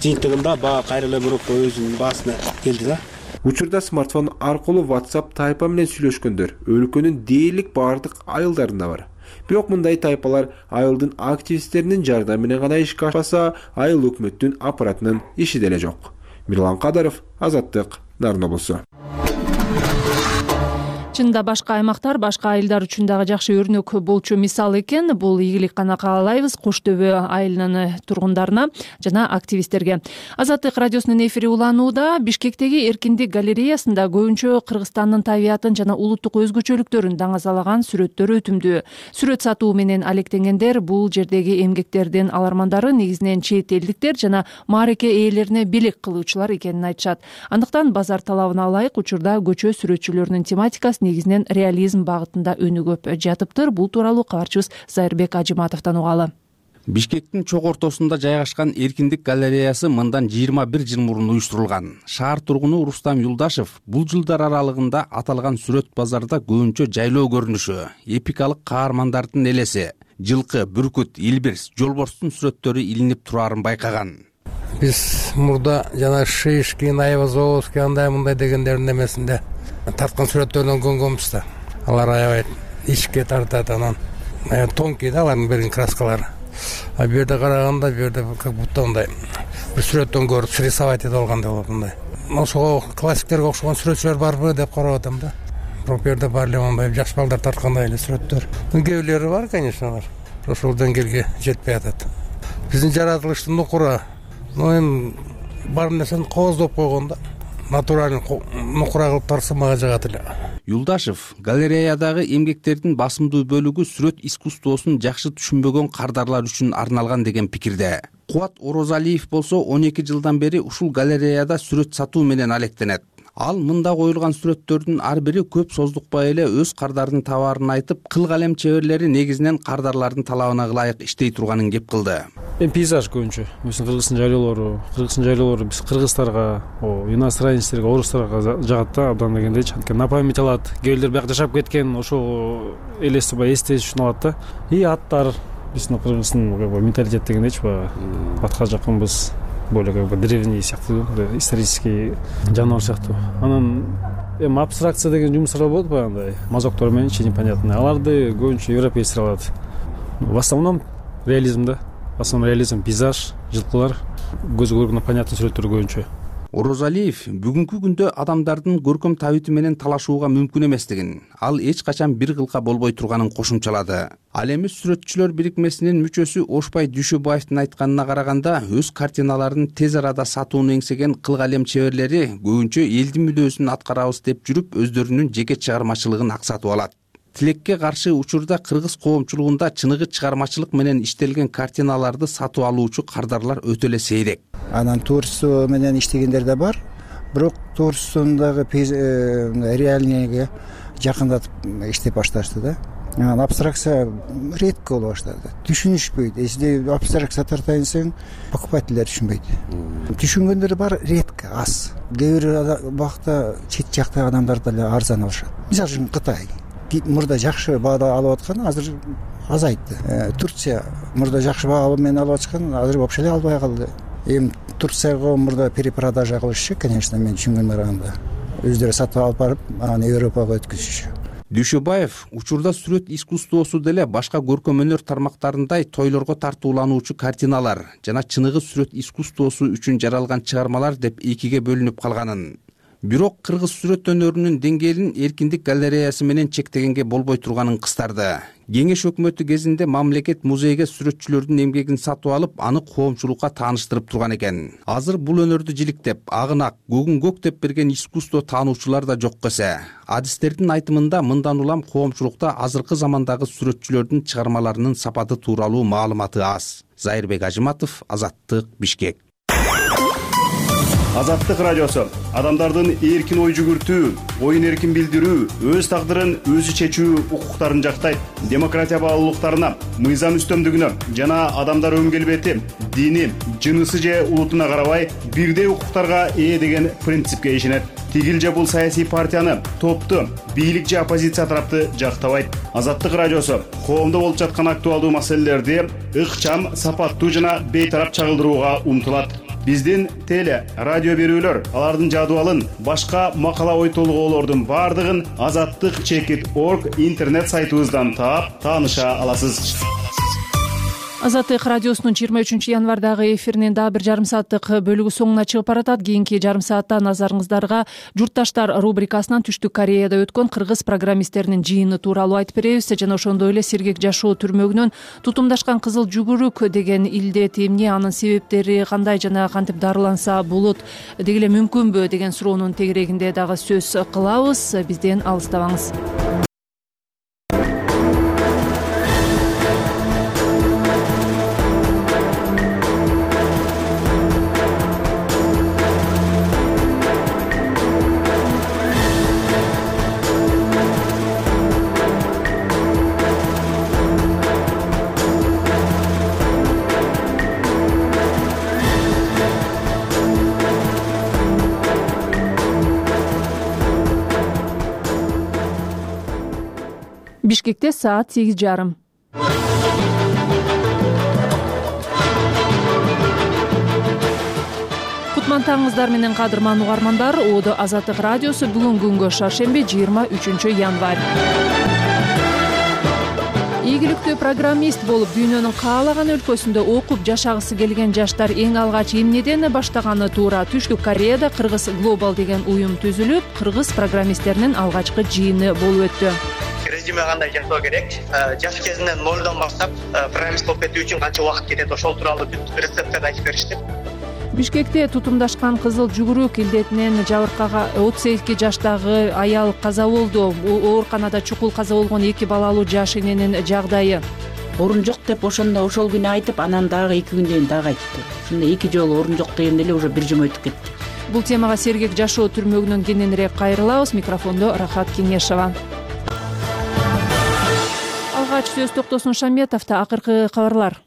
жыйынтыгында баа кайрыла группа өзүнүн баасына келди да. Учурда смартфон аркылуу WhatsApp тайпа менен сүйлөшкөндөр өлкөнүн дээрлик бардык айылдарында бар. Бирок мындай тайпалар айылдын активисттеринин жардамы менен гана ишке ашпаса, айыл өкмөттүн аппаратынын иши деле жок. Мирлан Кадыров, Азаттык, Нарын облусу. Чынында башка аймактар башка айылдар үчүн дагы жакшы өрнөк болчу мисал экен. Бул ийгилик гана каалайбыз Кош Төбө айылынын тургундарына жана активисттерге. Азаттык радиосунун эфири уланууда. Бишкектеги Эркиндик галереясында көбүнчө Кыргызстандын табиятын жана улуттук өзгөчөлүктөрүн даңазалаган сүрөттөр өтүмдүү. Сүрөт сатуу менен алектенгендер бул жердеги эмгектердин алармандары негизинен чет элдиктер жана маареке ээлерине белек кылуучулар экенин айтышат. Андыктан базар талабына ылайык учурда көчө сүрөтчүлөрүнүн тематикасы негизинен реализм багытында өнүгүп жатыптыр. Бул тууралуу кабарчыбыз Зайырбек Ажиматовдон угалы. Бишкектин чок ортосунда жайгашкан Эркиндик галереясы мындан 21 жыл мурун уюштурулган. Шаар тургуну Рустам Юлдашев бул жылдар аралыгында аталган сүрөт базарда көбүнчө жайлоо көрүнүшү, эпикалык каармандардын элеси, жылкы, бүркүт, илбирс, жолборстун сүрөттөрү илинип турарын байкаган. Биз мурда жана Шишкин, Айвазовский андай мындай дегендердин эмесинде тарткан сүрөттөрдөн көнгөнбүз да. Алар аябай ичке тартат, анан тонкий да алардын берген краскалары. А бу жерде караганда, бу жерде как будто мындай бир сүрөттөн көрүп срисовать этип алгандай болот мындай. Ошого классиктерге окшогон сүрөтчүлөр барбы деп карап атам да. Бирок бу жерде баары эле мындай жаш балдар тарткандай эле сүрөттөр. Кээ бирлери бар, конечно, алар ошол деңгээлге жетпей атат. Биздин жаратылыштын нукура, эми бар нерсени кооздоп койгон да. Натуралдын нукура кылып тарса мага жагат эле. Юлдашев галереядагы эмгектердин басымдуу бөлүгү сүрөт искусствосун жакшы түшүнбөгөн кардарлар үчүн арналган деген пикирде. Кубат Орозалиев болсо 12 жылдан бери ушул галереяда сүрөт сатуу менен алектенет. Ал мында коюлган сүрөттөрдүн ар бири көп создукпай эле өз кардардын табаарын айтып, кыл калем чеберлери негизинен кардарлардын талабына ылайык иштей турганын кеп кылды. Пейзаж көбүнчө, Кыргыздын жайлоолору биз кыргыздарга, иностранецтерге, орустарга жагат да, абдан дегендейчи. Анткени на память алат. Кээ бирлер бияк жашап кеткен, ошол элестебай эстеш үчүн алат да. И аттар биздин Кыргыздын менталитет дегендейчи, атка жакынбыз. Более как бы древний сыяктуу, исторический жаныбар сыяктуу. Анан абстракция деген жумуштар болот баягындай, мазоктор менен непонятный. Аларды көбүнчө европейцтер алат. В основном реализм да. В основном реализм, пейзаж, жылкылар, көзгө көргөндөй понятный сүрөттөр көбүнчө. Орозалиев бүгүнкү күндө адамдардын көркөм табити менен талашууга мүмкүн эместигин, ал эч качан бир кылка болбой турганын кошумчалады. Ал эми сүрөтчүлөр бирикмесинин мүчөсү Ошбай Дүйшөбаевдин айтканына караганда, өз картиналарын тез арада сатууну эңсеген кыл калем чеберлери көбүнчө элдин мүдөөсүн аткарабыз деп жүрүп, өздөрүнүн жеке чыгармачылыгын аксатып алат. Тилекке каршы учурда кыргыз коомчулугунда чыныгы чыгармачылык менен иштелген картиналарды сатып алуучу кардарлар өтө эле сейрек. Анан творчество менен иштегендер да бар, бирок творчествондагы реальныйга жакындатып иштеп башташты да. Анан абстракция редко боло баштады. Түшүнүшпөйт. Если абстракция тартайын десең, покупательдер түшүнбөйт. Түшүнгөндөр бар, редко, аз. Кээ бир убакта чет жактагы адамдар деле арзан алышат. Мисалы үчүн Кытай мурда жакшы баада алып аткан, азыр азайтты. Турция мурда жакшы баа менен алып аткан, азыр вообще эле албай калды. Эми Турцияга мурда перепродажа кылышчу, конечно, мен түшүнгөнүм караганда. Өздөрү сатып алып барып, анан Европага өткөзүшчү. Дүйшөбаев учурда сүрөт искусствосу деле башка көркөм өнөр тармактарындай тойлорго тартуулануучу картиналар жана чыныгы сүрөт искусствосу үчүн жаралган чыгармалар деп экиге бөлүнүп калганын. Бирок кыргыз сүрөт өнөрүнүн деңгээлин Эркиндик галереясы менен чектегенге болбой турганын кыстарды. Кеңеш өкмөтү кезинде мамлекет музейге сүрөтчүлөрдүн эмгегин сатып алып, аны коомчулукка тааныштырып турган экен. Азыр бул өнөрдү жиликтеп, агынак, көгүн көк деп берген искусство таануучулар да жок эсе. Адистердин айтымында мындан улам коомчулукта азыркы замандагы сүрөтчүлөрдүн чыгармаларынын сапаты тууралуу маалыматы аз. Зайырбек Ажиматов, Азаттык, Бишкек. Азаттык радиосу адамдардын эркин ой жүгүртүү, оюн эркин билдирүү, өз тагдырын өзү чечүү укуктарын жактайт. Демократия баалуулуктарына, мыйзам үстөмдүгүнө жана адамдар өң келбети, дини, жынысы же улутуна карабай бирдей укуктарга ээ деген принципке ишенет. Тигил же бул саясий партияны, топту, бийлик же оппозиция тарапты жактабайт. Азаттык радиосу коомдо болуп жаткан актуалдуу маселелерди ыкчам, сапаттуу жана бейтарап чагылдырууга умтулат. Биздин теле, радио берүүлөр, алардын жадыбалын, башка макала ой толгоолордун бардыгын azattik.org интернет сайтыбыздан таап, тааныша аласыз. Азаттык радиосунун 23 январдагы эфиринин дагы бир жарым сааттык бөлүгү соңуна чыгып баратат. Кийинки жарым саатта назарыңыздарга журтташтар рубрикасынан Түштүк Кореяда өткөн кыргыз программисттеринин жыйыны тууралуу айтып беребиз жана ошондой эле сергек жашоо түрмөгүнөн тутумдашкан кызыл жүгүрүк деген илдет эмне, анын себептери кандай жана кантип дарыланса болот, деги эле мүмкүнбү деген суроонун тегерегинде дагы сөз кылабыз. Бизден алыстабаңыз. Бишкекте саат 8:30. Кутман таңыңыздар менен кадырман угармандар. Оодо Азаттык радиосу бүгүнкү күнгө шаршемби 23 январь. Ийгиликтүү программист болуп дүйнөнүн каалаган өлкөсүндө окуп жашагысы келген жаштар эң алгач эмнеден баштаганы туура. Түштүк Кореяда Кыргыз Глобал деген уюм түзүлүп, кыргыз программисттеринин алгачкы жыйыны болуп өттү. Резюме кандай жасоо керек, жаш кезинен нолдон баштап программист болуп кетүү үчүн канча убакыт кетет, ошол тууралуу рецепттерди айтып беришти. Бишкекте тутумдашкан кызыл жүгүрүк илдетинен жабыркаган 32 жаштагы аял каза болду. Ооруканада чукул каза болгон 2 балалуу жаш эненин жагдайы. Орун жок деп ошол күнү айтып, анан дагы 2 күндөн дагы айтты. Ошондо 2 жолу орун жок дегенде эле уже 1 жума өтүп кетти. Бул темага сергек жашоо түрмөгүнөн кененирээк кайрылабыз. Микрофондо Рахат Кеңешова. Алгач сөз Токтосун Шаметовдо акыркы кабарлар.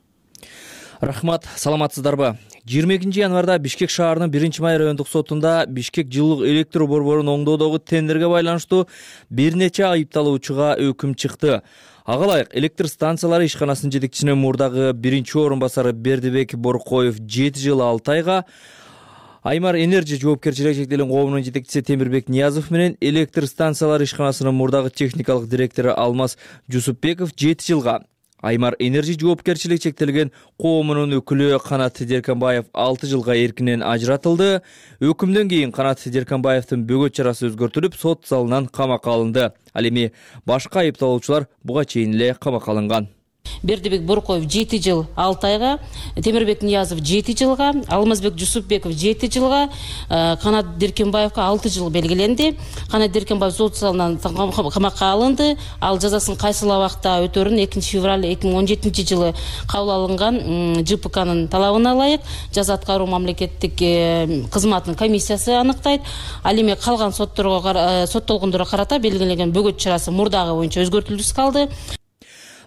Рахмат, саламатсыздарбы? 22 январда Бишкек шаарынын 1-май райондук сотунда Бишкек жылуулук электр борборун оңдоодогу тендерге байланыштуу бир нече айыпталуучуга өкүм чыкты. Ага ылайык электр станциялары ишканасынын жетекчисинин мурдагы 1-орун басары Бердибек Боркоев 7 жыл 6 айга, Аймар Энерджи жоопкерчилиги чектелген коомунун жетекчиси Темирбек Ниязов менен электр станциялары ишканасынын мурдагы техникалык директору Алмаз Жусупбеков 7 жылга, Аймар Энерджи жоопкерчилиги чектелген коомунун өкүлү Канат Деркенбаев 6 жылга эркинен ажыратылды. Өкүмдөн кийин Канат Деркенбаевдин бөгөт чарасы өзгөртүлүп, сот залынан камакка алынды. Ал эми башка айыпталуучулар буга чейин эле камакка алынган. Бердибек Боркоев 7 жыл 6 айга, Темирбек Ниязов 7 жылга, Алмазбек Жусупбеков 7 жылга, Канат Деркенбаевга 6 жыл белгиленди. Канат Деркенбаев сот залынан камакка алынды. Ал жазасын кайсыл абакта өтөрүн 2 февраль 2017 жылы кабыл алынган ЖПКнын талабына ылайык жаза аткаруу мамлекеттик кызматынын комиссиясы аныктайт. Ал эми калган соттолгондорго карата белгиленген бөгөт чарасы мурдагы боюнча өзгөртүлүп калды.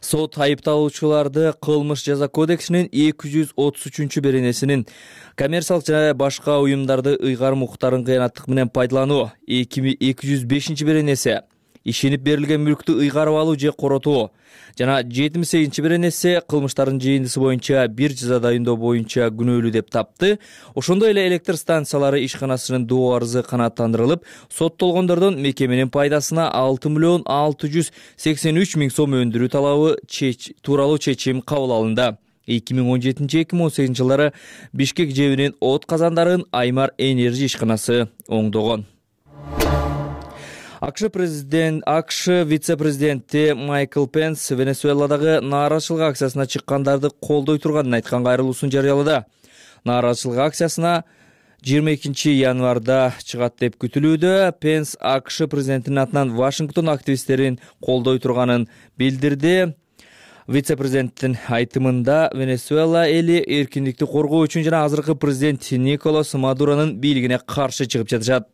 Сот айыпталуучуларды кылмыш жаза кодексинин 233 беренесинин коммерциялык жана башка уюмдарды ыйгарым укуктарын кыянаттык менен пайдалануу, 205 беренеси ишенип берилген мүлктү ыйгарып алуу же коротуу жана 78 беренеси кылмыштардын жыйындысы боюнча бир жаза дайындоо боюнча күнөөлүү деп тапты. Ошондой эле электр станциялары ишканасынын доо арызы канааттандырылып, соттолгондордон мекеменин пайдасына 6,683 миң сом өндүрүү талабы тууралуу чечим кабыл алынды. 2017-2018 жылдары Бишкек жебинин от казандарын Аймар Энерджи ишканасы оңдогон. АКШ вице-президенти Майкл Пенс Венесуэладагы нааразычылык акциясына чыккандарды колдой турганын айткан кайрылуусун жарыялады. Нааразычылык акциясына 22 январда чыгат деп күтүлүүдө. Пенс АКШ президентинин атынан Вашингтон активисттерин колдой турганын билдирди. Вице-президенттин айтымында Венесуэла эли эркиндикти коргоо үчүн жана азыркы президент Николас Мадуронун бийлигине каршы чыгып жатышат.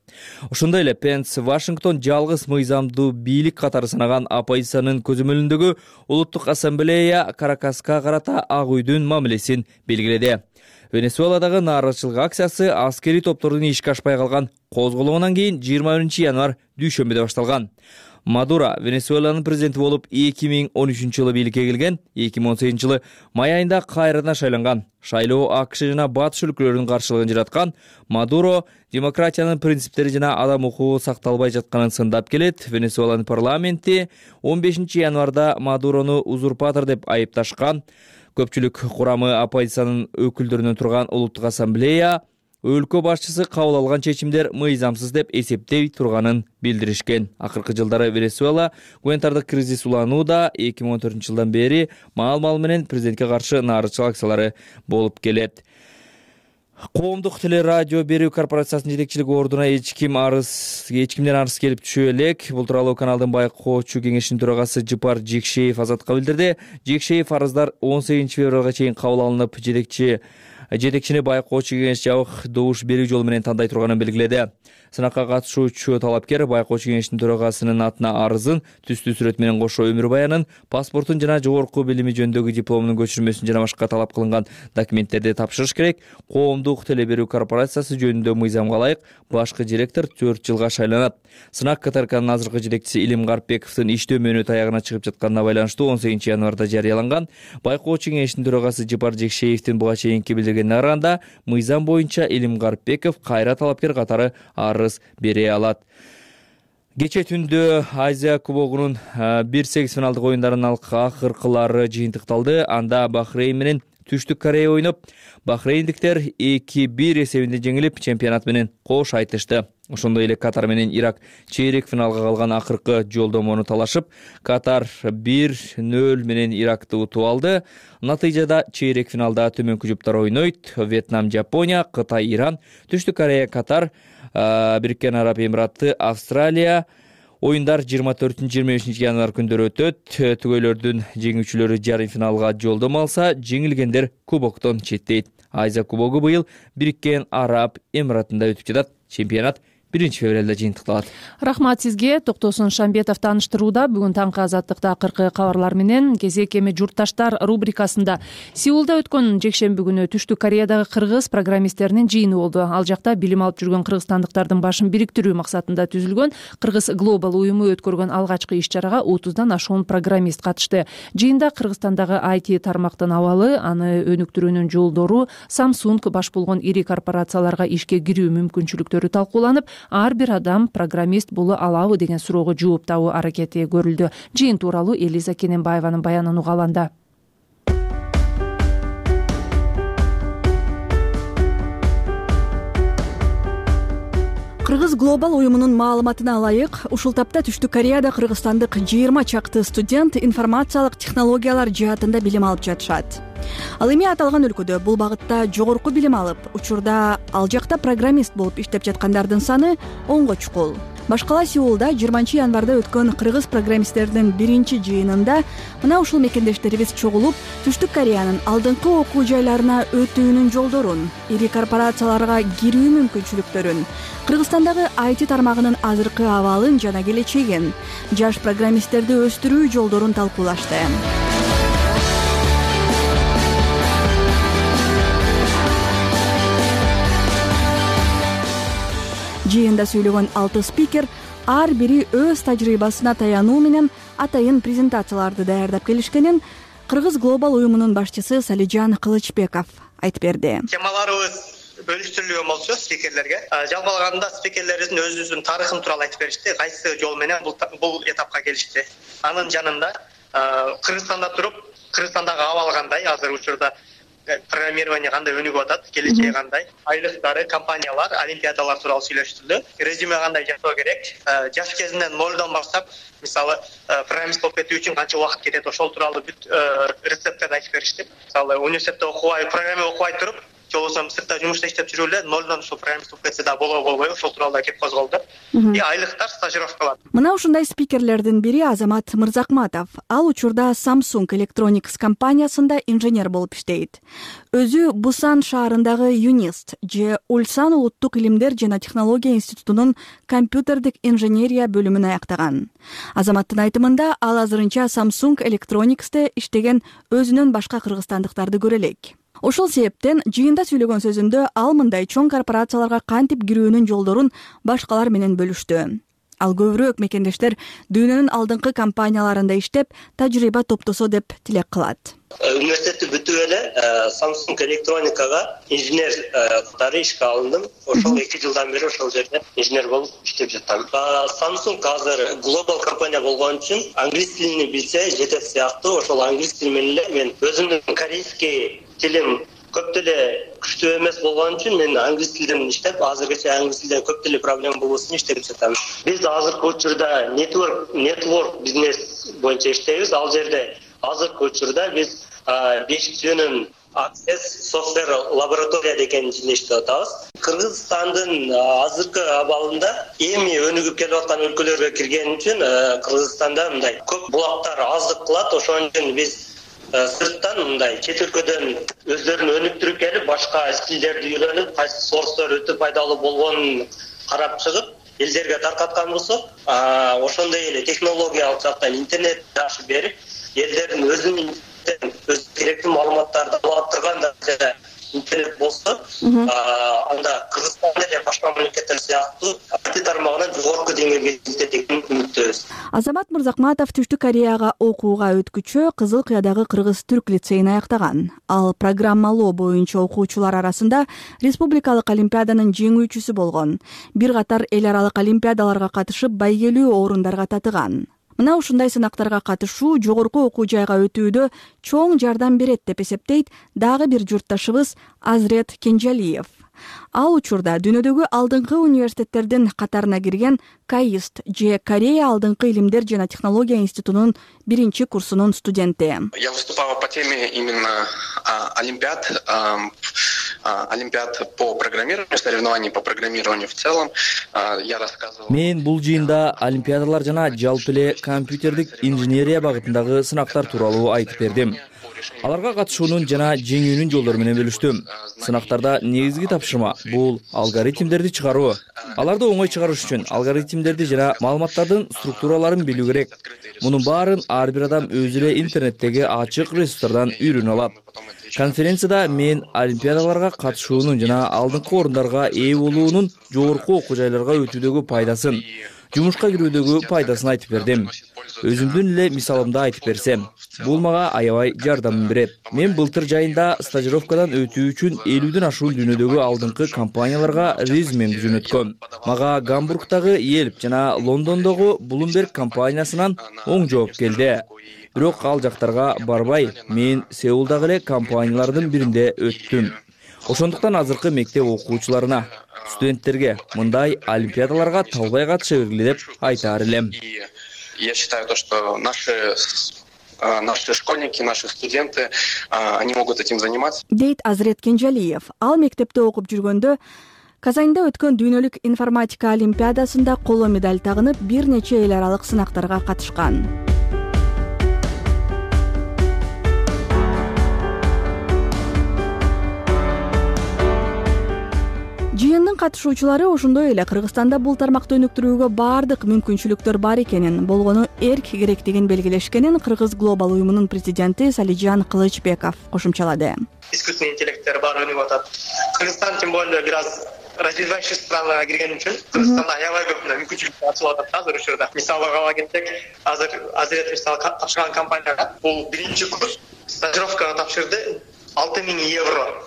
Ошондой эле Пенс Вашингтон жалгыз мыйзамдуу бийлик катары санаган оппозициянын көзөмөлүндөгү Улуттук ассамблея Каракаска карата Ак үйдүн мамилесин белгиледи. Венесуэладагы нааразычылык акциясы аскерий топтордун ишке ашпай калган козголоңунан кийин 21 январь дүйшөмбүдө башталган. Мадуро Венесуэланын президенти болуп 2013 жылы бийликке келген, 2018 жылы май айында кайрадан шайланган. Шайлоо АКШ жана батыш өлкөлөрүнүн каршылыгын жараткан. Мадуро демократиянын принциптери жана адам укугу сакталбай жатканын сындап келет. Венесуэланын парламенти 15 январда Мадурону узурпатор деп айыпташкан. Көпчүлүк курамы оппозициянын өкүлдөрүнөн турган улуттук ассамблея өлкө башчысы кабыл алган чечимдер мыйзамсыз деп эсептей турганын билдиришкен. Акыркы жылдары Венесуэла гуманитардык кризис уланууда 2014 жылдан бери маал менен президентке каршы нааразычылык акциялары болуп келет. Коомдук телерадио берүү корпорациясынын жетекчилик ордуна эч кимден арыз келип түшө элек. Бул тууралуу каналдын байкоочу кеңешинин төрагасы Жыпар Жекшеев Азатка билдирди. Жекшеев арыздар 18 февралга чейин кабыл алынып, жетекчини байкоочу кеңеш жабык добуш берүү жолу менен тандай турганын белгиледи. Сынакка катышуучу талапкер байкоочу кеңештин төрагасынын атына арызын, түстүү сүрөт менен кошо өмүр баянын, паспортун жана жогорку билими жөнүндөгү дипломунун көчүрмөсүн жана башка талап кылынган документтерди тапшырыш керек. Коомдук теле берүү корпорациясы жөнүндө мыйзамга ылайык башкы директор 4 жылга шайланат. Сынак КТРКнын азыркы жетекчиси Илим Гарпбековдун иштөө мөөнөтү аягына чыгып жатканына байланыштуу 18 январда жарыяланган. Байкоочу кеңештин төрагасы Жыпар Жекшеевдин буга чейинки билдиргенине караганда, мыйзам боюнча Илим Гарпбеков кайра талапкер катары арыз бере алат. Кече түндө Азия кубогунун 1/8 финалдык оюндарынын акыркылары жыйынтыкталды. Анда Бахрейн менен Түштүк Корея ойноп, бахрейндиктер 2-1 эсебинде жеңилип, чемпионат менен кош айтышты. Ошондой эле Катар менен Ирак чейрек финалга калган акыркы жолдомону талашып, Катар 1-0 менен Иракты утуп алды. Натыйжада чейрек финалда төмөнкү жуптар ойнойт. Вьетнам Жапония, Кытай Иран, Түштүк Корея Катар, Бириккен Араб Эмираты Австралия. Оюндар 24-25 январ күндөрү өтөт. Түгөйлөрдүн жеңүүчүлөрү жарым финалга жолдомо алса, жеңилгендер кубоктон четтейт. Азия кубогу быйыл Бириккен Араб Эмиратында өтүп жатат. Чемпионат 1 февралда жыйынтыкталат. Рахмат сизге. Токтосун Шамбетов тааныштырууда. Бүгүн таңкы Азаттыкта акыркы кабарлар менен кезек эми журтташтар рубрикасында Сеулда өткөн жекшемби күнү Түштүк Кореядагы кыргыз программисттеринин жыйыны болду. Ал жакта билим алып жүргөн кыргызстандыктардын башын бириктирүү максатында түзүлгөн Кыргыз Глобал уюму өткөргөн алгачкы иш-чарага 30дан ашуун программист катышты. Жыйында Кыргызстандагы IT тармактын абалы, аны өнүктүрүүнүн жолдору, Samsung баш болгон ири корпорацияларга ишке кирүү мүмкүнчүлүктөрү талкууланып, ар бир адам программист боло алабы деген суроого жооп табуу аракети көрүлдү. Жыйын тууралуу Элиза Кененбаеванын баянын угалы анда. Кыргыз Глобал уюмунун маалыматына ылайык, ушул тапта Түштүк Кореяда кыргызстандык 20 чакты студент информациялык технологиялар жаатында билим алып жатышат. Ал эми аталган өлкөдө бул багытта жогорку билим алып, учурда ал жакта программист болуп иштеп жаткандардын саны 10го чукул. Башкала Сеулда 20 январда өткөн кыргыз программисттердин биринчи жыйынында мына ушул мекендештерибиз чогулуп, Түштүк Кореянын алдыңкы окуу жайларына өтүүнүн жолдорун, ири корпорацияларга кирүү мүмкүнчүлүктөрүн, Кыргызстандагы IT тармагынын азыркы абалын жана келечегин, жаш программисттерди өстүрүү жолдорун талкуулашты. Жыйында сүйлөгөн 6 спикер ар бири өз тажрыйбасына таянуу менен атайын презентацияларды даярдап келишкенин Кыргыз Глобал уюмунун башчысы Салижан Кылычбеков айтып берди. Темаларыбыз бөлүштүрүлгөн болчу спикерлерге. Жалпы алганда спикерлерибиздин өзүбүздүн тарыхын тууралуу айтып беришти. Кайсы жол менен бул этапка келишти. Анын жанында Кыргызстанда туруп, Кыргызстандагы абал кандай, азыр учурда программирование кандай өнүгүп атат, келечеги кандай, айлыктары, компаниялар, олимпиадалар тууралуу сүйлөштүлдү. Резюме кандай жасоо керек, жаш кезинен нолдон баштап, мисалы, программист болуп кетүү үчүн канча убакыт кетет, ошол тууралуу бүт рецепттерди айтып беришти. Мисалы, университетте окубай, программа окубай туруп, жолбосо сыртта жумушта иштеп жүрүп эле нолдон ушул программист болуп кетсе да болобойбу, ошол тууралуу да кеп козголду. И айлыктар, стажировкалар. Мына ушундай спикерлердин бири Азамат Мырзакматов. Ал учурда Samsung Electronics компаниясында инженер болуп иштейт. Өзү Бусан шаарындагы ЮНИСТ же Ульсан улуттук илимдер жана технология институтунун компьютердик инженерия бөлүмүн аяктаган. Азаматтын айтымында, ал азырынча Samsung Electronics'те иштеген өзүнөн башка кыргызстандыктарды көрө элек. Ошол себептен жыйында сүйлөгөн сөзүндө ал мындай чоң корпорацияларга кантип кирүүнүн жолдорун башкалар менен бөлүштү. Ал көбүрөөк мекендештер дүйнөнүн алдыңкы компанияларында иштеп, тажрыйба топтосо деп тилек кылат. Университетти бүтүп эле Samsung электроникага инженер катары ишке алындым. Ошол 2 жылдан бери ошол жерде инженер болуп иштеп жатам. Samsung азыр глобал компания болгон үчүн англис тилин билсе жетет сыяктуу. Ошол англис тили менен эле мен өзүмдүн корейский тилим көп деле күчтүү эмес болгон үчүн мен англис тилден иштеп, азыркыча англис тилден көп деле проблема болбосун иштеп жатам. Биз азыркы учурда network бизнес боюнча иштейбиз. Ал жерде азыркы учурда биз 5G-нын Access Software Laboratory деген жерде иштеп атабыз. Кыргызстандын азыркы абалында эми өнүгүп келип аткан өлкөлөргө кирген үчүн Кыргызстанда мындай көп булактар аздык кылат. Ошон үчүн биз сырттан мындай чет өлкөдөн өздөрүн өнүктүрүп келип, башка стилдерди үйрөнүп, кайсы сорстор өтө пайдалуу болгонун карап чыгып, элдерге таркаткан болсок, ошондой эле технологиялык жактан интернет жакшы берип, элдердин өзүнүн өз керектүү маалыматтарды ала турган дәрежеде интернет болсо, анда Кыргызстан эле башка мамлекеттер сыяктуу IT тармагынан жогорку деңгээлге жетет деген үмүттөбүз. Азамат Мырзакматов Түштүк Кореяга окууга өткүчө Кызыл Кыядагы Кыргыз-Түрк лицейин аяктаган. Ал программалоо боюнча окуучулар арасында республикалык олимпиаданын жеңүүчүсү болгон. Бир катар эл аралык олимпиадаларга катышып, байгелүү орундарга татыган. Мына ушундай сынактарга катышуу жогорку окуу жайга өтүүдө чоң жардам берет деп эсептейт дагы бир журтташыбыз Азрет Кенжалиев. Ал учурда дүйнөдөгү алдыңкы университеттердин катарына кирген KAIST же Корея алдыңкы илимдер жана технология институтунун 1-чи курсунун студенти. Я выступала по теме именно олимпиад по программированию, соревнований по программированию в целом. Я рассказывал. Мен бул жыйында олимпиадалар жана жалпы эле компьютердик инженерия багытындагы сынактар тууралуу айтып бердим. Аларга катышуунун жана жеңүүнүн жолдору менен бөлүштүм. Сынактарда негизги тапшырма бул алгоритмдерди чыгаруу. Аларды оңой чыгарыш үчүн алгоритмдерди жана маалыматтардын структураларын билүү керек. Мунун баарын ар бир адам өзү эле интернеттеги ачык ресурстардан үйрөнө алат. Конференцияда мен олимпиадаларга катышуунун жана алдыңкы орундарга ээ болуунун жогорку окуу жайларга өтүүдөгү пайдасын, жумушка кирүүдөгү пайдасын айтып бердим. Өзүмдүн эле мисалымды айтып берсем, бул мага аябай жардам берет. Мен былтыр жайында стажировкадан өтүү үчүн 50ден ашуун дүйнөдөгү алдыңкы компанияларга резюмемди жөнөткөм. Мага Гамбургдагы Yelp жана Лондондогу Bloomberg компаниясынан оң жооп келди. Бирок ал жактарга барбай, мен Сеулдагы эле компаниялардын биринде өттүм. Ошондуктан азыркы мектеп окуучуларына, студенттерге мындай олимпиадаларга талбай катыша бергиле деп айтаар элем. Я считаю то, что наши школьники, наши студенты, они могут этим заниматься. Дейт Азрет Кенжалиев. Ал мектепте окуп жүргөндө Казанда өткөн дүйнөлүк информатика олимпиадасында коло медаль тагынып, бир нече эл аралык сынактарга катышкан. Жыйындын катышуучулары ошондой эле Кыргызстанда бул тармакты өнүктүрүүгө баардык мүмкүнчүлүктөр бар экенин, болгону эрк керектигин белгилешкенин Кыргыз глобал уюмунун президенти Салижан Кылычбеков кошумчалады. Искусственный интеллекттер бар өнүгүп атат. Кыргызстан тем более бир аз развивающий странага кирген үчүн Кыргызстанда аябай көп мүмкүнчүлүктөр ачылып атат азыр учурда. Мисалга ала кетсек, азыр Азрет мисалы тапшырган компанияга бул 1-чи курс стажировкага тапшырды 6000 евро.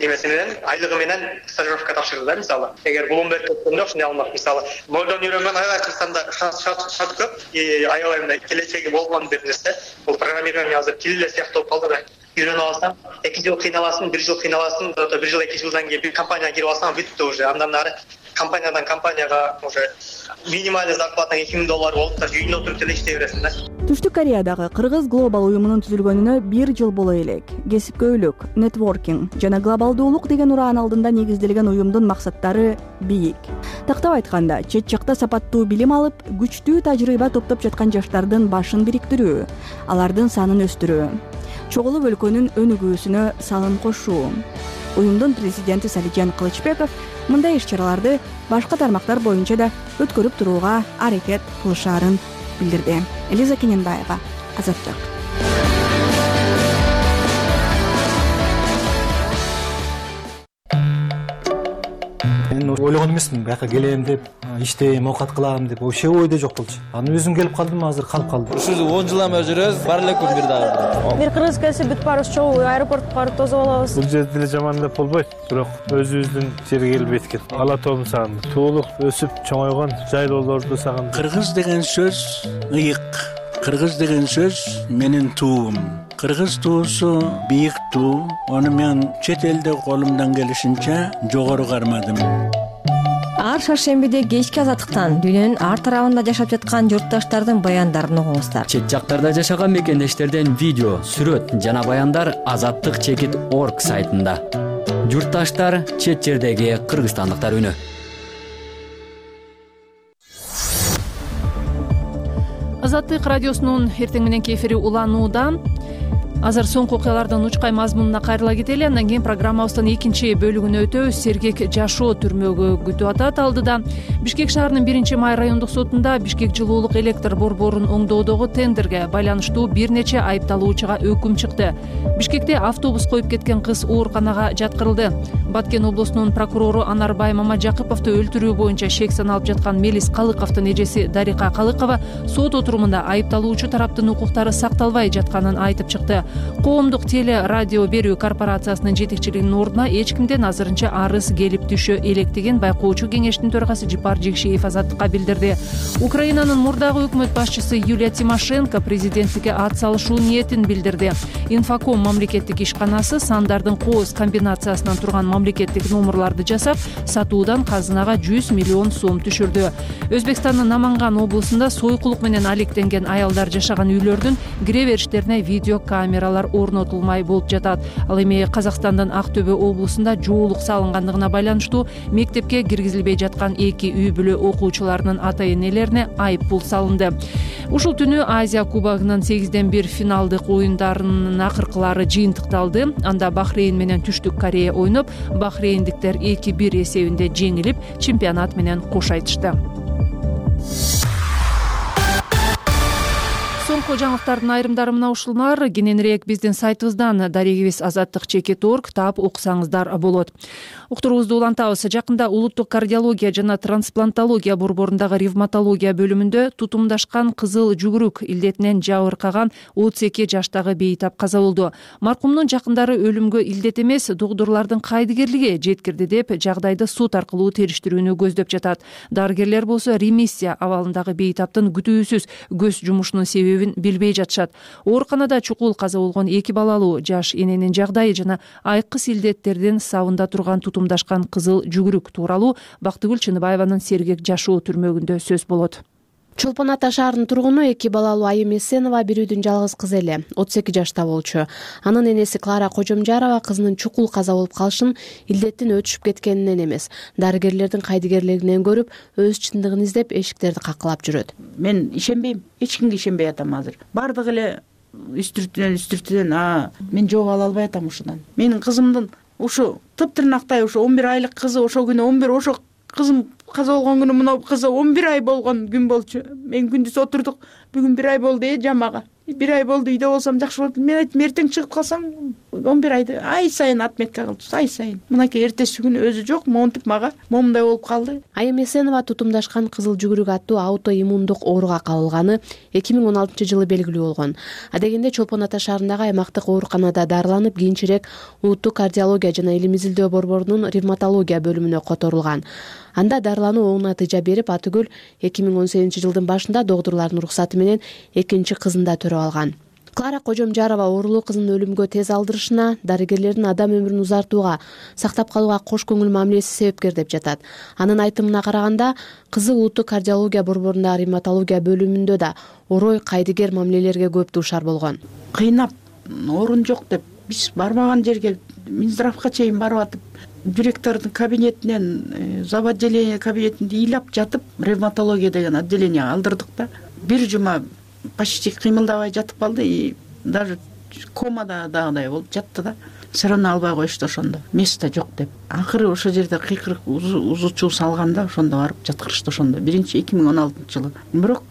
Немеси менен айлыгы менен стажировка тапшырды да, мисалы. Эгер Bloomberg өткөндө ушундай алмак, мисалы, нолдон үйрөнгөн аябай Кыргызстанда шарт көп, аябай мындай келечеги болгон бир нерсе. Бул программирование азыр тил эле сыяктуу болуп калды да. Үйрөнүп алсаң, 2 жыл кыйналасың, 1 жыл кыйналасың, 1 жыл 2 жылдан кийин бир компанияга кирип алсаң, бүттү уже. Андан ары компаниядан компанияга уже минимальный зарплата $2000 болуп та үйүндө отуруп эле иштей бересиң да. Түштүк Кореядагы Кыргыз глобал уюмунун түзүлгөнүнө 1 жыл боло элек. Кесипкөйлүк, нетворкинг жана глобалдуулук деген ураан алдында негизделген уюмдун максаттары бийик. Тактап айтканда, чет жакта сапаттуу билим алып, күчтүү тажрыйба топтоп жаткан жаштардын башын бириктирүү, алардын санын өстүрүү, чогулуп өлкөнүн өнүгүүсүнө салым кошуу. Уюмдун президенти Салижан Кылычбеков мындай иш-чараларды башка тармактар боюнча да өткөрүп турууга аракет кылышаарын билдирди. Элиза Кененбаева, Азаттык. Мен ойлогон эмесмин бияка келем деп, иштейм, оокат кылам деп, вообще ойдо жок болчу. Анан өзүм келип калдым, азыр калып калдым. Ушул 10 жылдан бери жүрөбүз, бар эле күн бир дагы. Бир кыргыз келсе бүт баарыбыз чогуу аэропортко барып тосуп алабыз. Бул жерде деле жаман деп болбойт, бирок өзүбүздүн жерге келбейт экен. Ала тообун сагындым. Туулуп, өсүп, чоңойгон жайлоолорду сагындым. Кыргыз деген сөз ыйык. Кыргыз деген сөз менин туум. Кыргыз туусу бийик туу. Аны мен чет элде колумдан келишинче жогору кармадым. Ар шаршембиде кечки азаттыктан дүйнөнүн ар тарабында жашап жаткан журтташтардын баяндарын угуңуздар. Чет жактарда жашаган мекендештерден видео, сүрөт жана баяндар azattik.org сайтында. Журтташтар, чет жердеги кыргызстандыктар үнү. Азаттык радиосунун эртең мененки эфири уланууда. Азыр соңку окуялардын учкай мазмунуна кайрыла кетели. Андан кийин программабыздын экинчи бөлүгүнө өтөбүз. Сергек жашоо түрмөгө күтүп атат. Алдыда Бишкек шаарынын 1-май райондук сотунда Бишкек жылуулук электр борборун оңдоодогу тендерге байланыштуу бир нече айыпталуучуга өкүм чыкты. Бишкекте автобус коюп кеткен кыз ооруканага жаткырылды. Баткен облусунун прокурору Анарбай Мамажакыповду өлтүрүү боюнча шек саналып жаткан Мелис Калыковдун эжеси Дарика Калыкова сот отурумунда айыпталуучу тараптын укуктары сакталбай жатканын айтып чыкты. Коомдук теле радио берүү корпорациясынын жетекчилигинин ордуна эч кимден азырынча арыз келип түшө электигин байкоочу кеңештин төрагасы Жипар Жекшиев Азаттыкка билдирди. Украинанын мурдагы өкмөт башчысы Юлия Тимошенко президенттикке ат салышуу ниетин билдирди. Инфоком мамлекеттик ишканасы сандардын кооз комбинациясынан турган мамлекеттик номерларды жасап, сатуудан казынага 100 миллион сом түшүрдү. Өзбекстандын Наманган облусунда сойкулук менен алектенген аялдар жашаган үйлөрдүн кире бериштерине видео камералар орнотулмай болуп жатат. Ал эми Казакстандын Ак Төбө облусунда жоолук салынгандыгына байланыштуу мектепке киргизилбей жаткан 2 үй бүлө окуучуларынын ата-энелерине айып пул салынды. Ушул түнү Азия кубогунун 8-1 финалдык оюндарынын акыркылары жыйынтыкталды. Анда Бахрейн менен Түштүк Корея ойноп, бахрейндиктер 2-1 эсебинде жеңилип, чемпионат менен кош айтышты. Соңку жаңылыктардын айрымдары мына ушулар. Кененирээк биздин сайтыбыздан дарегибиз azattik.org таап окусаңыздар болот. Уктуруубузду улантабыз. Жакында улуттук кардиология жана трансплантология борборундагы ревматология бөлүмүндө тутумдашкан кызыл жүгүрүк илдетинен жабыркаган 32 жаштагы бейтап каза болду. Маркумдун жакындары өлүмгө илдет эмес, докторлордун кайдыгерлиги жеткирди деп жагдайды суд аркылуу териштирүүнү көздөп жатат. Дарыгерлер болсо ремиссия абалындагы бейтаптын күтүүсүз көз жумушунун себебин билбей жатышат. Ооруканада чукул каза болгон 2 балалуу жаш эненин жагдайы жана айкыс илдеттердин сабында турган тутумдашкан кызыл жүгүрүк тууралуу Бактыгүл Чыныбаеванын Сергек жашоо түрмөгүндө сөз болот. Чолпон Ата шаарынын тургуну 2 балалуу Айым Эсенова бирүүдүн жалгыз кызы эле, 32 жашта болчу. Анын энеси Клара Кожомжарова кызынын чукул каза болуп калышын илдеттин өтүшүп кеткенинен эмес, дарыгерлердин кайдыгерлигинен көрүп, өз чындыгын издеп эшиктерди какылап жүрөт. Мен ишенбейм, эч кимге ишенбей атам азыр. Бардыгы эле үстүртүнөн мен жооп ала албай атам ушудан. Менин кызымдын ушу тыптырнактай ушу 11 айлык кызы ошо күнү 11 ошо кызым каза болгон күнү мына кызы 11 ай болгон күн болчу. Мен күндүз отурдук. Бүгүн 1 ай болду жамага. 1 ай болду үйдө болсом жакшы болот. Мен айттым, эртең чыгып калсам 11 айды ай сайын отметка кылып, ай сайын. Мынакей эртеси күнү өзү жок, монтип мага момундай болуп калды. Айым Эсенова тутумдашкан кызыл жүгүрүк аттуу аутоиммундук ооруга кабылганы 2016-жылы белгилүү болгон. Адегенде Чолпон Ата шаарындагы аймактык ооруканада дарыланып, кийинчерээк улуттук кардиология жана илим изилдөө борборунун ревматология бөлүмүнө которулган. Анда дарылануу оң натыйжа берип, Атыгүл 2018-жылдын башында докторлордун уруксаты менен экинчи кызын да төрөп алган. Клара Кожомжарова оорулуу кызынын өлүмгө тез алдырышына, дарыгерлердин адам өмүрүн узартууга, сактап калууга кош көңүл мамилеси себепкер деп жатат. Анын айтымына караганда, кызы улуттук кардиология борборундагы ревматология бөлүмүндө да орой кайдыгер мамилелерге көп дуушар болгон. Кыйнап, орун жок деп, биз барбаган жерге Минздравга чейин барып атып, директордун кабинетинен, зав. Отделение кабинетинде ыйлап жатып, ревматология деген отделенияга алдырдык да. Бир жума почти кыймылдабай жатып калды и даже комада дагыдай болуп жатты да. Все равно албай коюшту ошондо. Место жок деп. Акыры ошол жерде кыйкырык узучу салганда ошондо барып жаткырышты ошондо. 2016-жылы. Бирок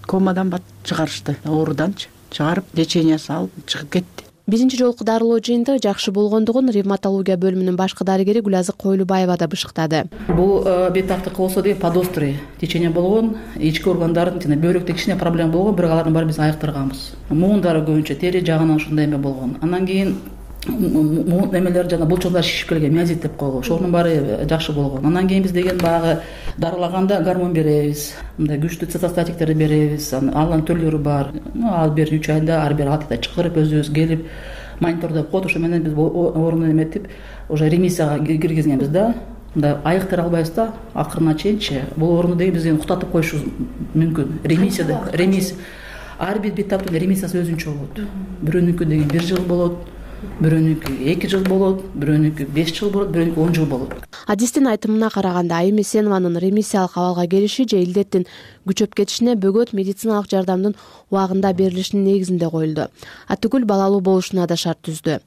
комадан чыгарышты. Ооруданчы чыгарып, лечениясы алып чыгып кетти. Биринчи жолку дарылоо жыйынтыгы жакшы болгондугун ревматология бөлүмүнүн башкы дарыгери Гүлазык Койлубаева да бышыктады. Бул бейтаптык болсо деген подострый течение болгон, ички органдардын жана бөйрөктө кичине проблема болгон, бирок алардын баарын биз айыктырганбыз. Муундары көбүнчө тери жагынан ушундай эме болгон. Андан кийин эмелер жана булчуңдар шишип келген, миозит деп койгон. Ошонун баары жакшы болгон. Андан кийин биз деген баягы дарылаганда гормон беребиз, мындай күчтүү цитостатиктерди беребиз. Анын түрлөрү бар. Ар бир 3 айда ар бир атта чакырып өзүбүз келип монитордоп коет. Ошо менен биз орунду эметип уже ремиссияга киргизгенбиз да. Мындай айыктыра албайбыз да, акырына чейинчи. Бул орунду деген биз уктатып коюшубуз мүмкүн. Ремиссия ар бир бейтаптын ремиссиясы өзүнчө болот. Бирөөнүкү деген 1 жыл болот, бирөөнүкү 2 жыл болот, бирөөнүкү 5 жыл болот, бирөөнүкү 10 жыл болот. Адистин айтымына караганда Айым Эсенованын ремиссиялык абалга келиши же илдеттин күчөп кетишине бөгөт медициналык жардамдын убагында берилишинин негизинде коюлду. Атүгүл балалуу болушуна да шарт түздү.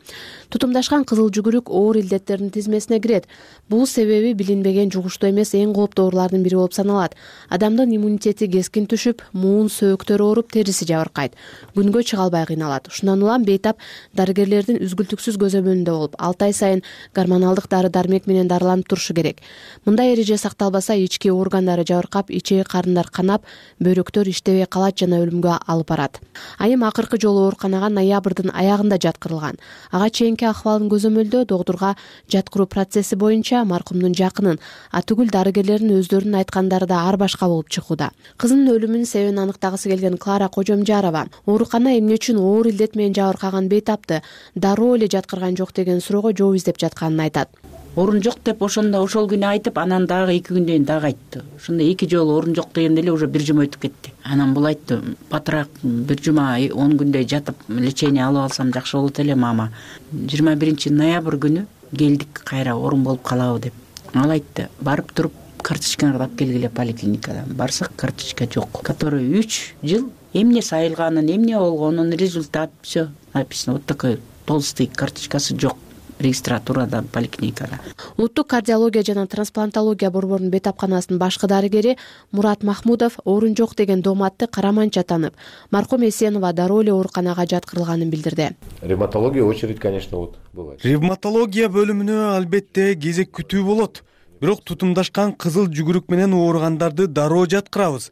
Тутумдашкан кызыл жүгүрүк оор илдеттердин тизмесине кирет. Бул себеби билинбеген жугуштуу эмес эң кооптуу оорулардын бири болуп саналат. Адамдын иммунитети кескин түшүп, муун сөөктөрү ооруп, териси жабыркайт. Күнгө чыга албай кыйналат. Ушундан улам бейтап дарыгерлердин үзгүлтүксүз көзөмөлүндө болуп, 6 ай сайын гормоналдык дары-дармек менен дарыланып турушу керек. Мындай эреже сакталбаса, ички органдары жабыркап, ичеги карындар канап, бөйрөктөр иштебей калат жана өлүмгө алып барат. Айым акыркы жолу ооруканага ноябрдын аягында жаткырылган. Ага чейинки акыбалын көзөмөлдөө доктурга жаткыруу процесси боюнча маркумдун жакынын, атүгүл дарыгерлердин өздөрүнүн айткандары да ар башка болуп чыгууда. Кызынын өлүмүнүн себебин аныктагысы келген Клара Кожомжарова оорукана эмне үчүн оор илдет менен жабыркаган бейтапты дароо эле жаткырган жок деген суроого жооп издеп жатканын айтат. Орун жок деп ошондо ошол күнү айтып, анан дагы 2 күндөн кийин дагы айтты. Ошондо 2 жолу орун жок дегенде эле уже 1 жума өтүп кетти. Анан бул айтты, батыраак 1 жума 10 күндөй жатып лечение алып алсам жакшы болот эле мама. 21 ноябрь күнү келдик кайра орун болуп калабы деп. Ал айтты, барып туруп карточкаңды алып келгиле поликлиникадан. Барсак карточка жок, который 3 жыл эмне сайылганын, эмне болгонун, результат всё написано. Вот такой толстый карточкасы жок. Регистратурада поликлиникада. Улуттук кардиология жана трансплантология борборунун бейтапканасынын башкы дарыгери Мурат Махмудов орун жок деген дооматты караманча танып, маркум Эсенова дароо эле ооруканага жаткырылганын билдирди. Ревматология очередь, конечно, вот бывает. Ревматология бөлүмүнө албетте кезек күтүү болот. Бирок тутумдашкан кызыл жүгүрүк менен ооругандарды дароо жаткырабыз.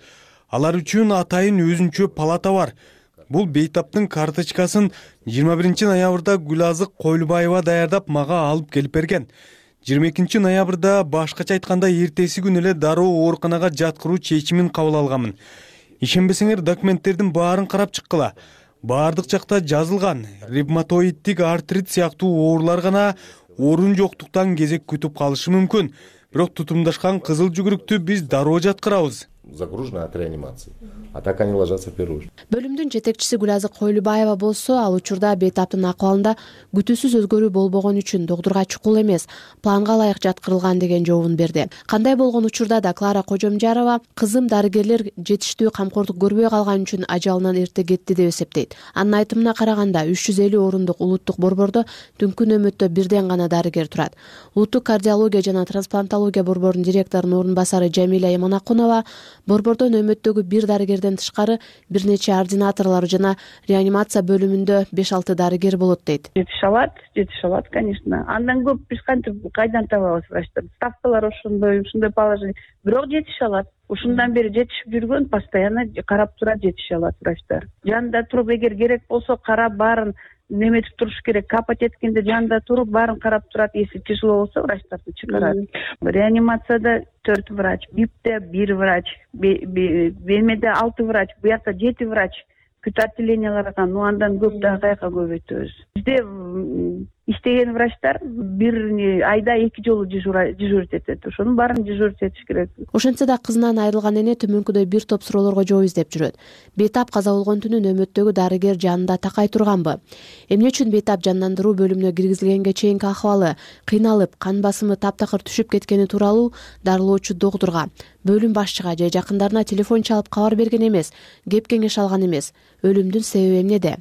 Алар үчүн атайын өзүнчө палата бар. Бул бейтаптын карточкасын 21 ноябрда Гүлазык Койлубаева даярдап мага алып келип берген. 22 ноябрда башкача айтканда эртеси күнү эле дароо ооруканага жаткыруу чечимин кабыл алганмын. Ишенбесеңер документтердин баарын карап чыккыла. Баардык жакта жазылган. Ревматоиддик артрит сыяктуу оорулар гана орун жоктуктан кезек күтүп калышы мүмкүн. Бирок тутумдашкан кызыл жүгүрүктү биз дароо жаткырабыз. Загружена от реанимации. А так они ложатся в первую очередь. Бөлүмдүн жетекчиси Гүлазык Койлубаева болсо, ал учурда бейтаптын акыбалында күтүүсүз өзгөрүү болбогон үчүн доктурга чукул эмес, планга ылайык жаткырылган деген жообун берди. Кандай болгон учурда да Клара Кожомжарова кызым дарыгерлер жетиштүү камкордук көрбөй калган үчүн ажалынан эрте кетти деп эсептейт. Анын айтымына караганда 350 орундук улуттук борбордо түнкү нөөмөттө бирден гана дарыгер турат. Улуттук кардиология жана трансплантология борборунун директорунун орун басары Жамиля Яманакунова борбордо нөөмөттөгү бир дарыгерден тышкары бир нече ординаторлор жана реанимация бөлүмүндө 5-6 дарыгер болот дейт. Жетише алат, конечно. Андан көп биз кантип кайдан табабыз врачтарды? Ставкалар ушундай положение. Бирок жетише алат. Ушундан бери жетишип жүргөн, постоянно карап турат, жетише алат врачтар. Жанында туруп, эгер керек болсо карап баарын неметип туруш керек. Капать эткенде жанында туруп баарын карап турат. Если тяжело болсо врачтарды чыгарат. Реанимацияда 4 врач, БИПте 1 врач, БМде 6 врач, буякта 7 врач. Күт отделенияларга, андан көп да каяка көбөйтөбүз. Бизде иштеген врачтар бир айда 2 жолу дежурить этет. Ошонун баарын дежурить этиш керек. Ошентсе да кызынан айрылган эне төмөнкүдөй бир топ суроолорго жооп издеп жүрөт. Бейтап каза болгон түнү нөөмөттөгү дарыгер жанында такай турганбы? Эмне үчүн бейтап жандандыруу бөлүмүнө киргизилгенге чейинки акыбалы, кыйналып, кан басымы таптакыр түшүп кеткени тууралуу дарылоочу доктурга, бөлүм башчыга же жакындарына телефон чалып кабар берген эмес, кеп кеңеш алган эмес. Өлүмдүн себеби эмнеде?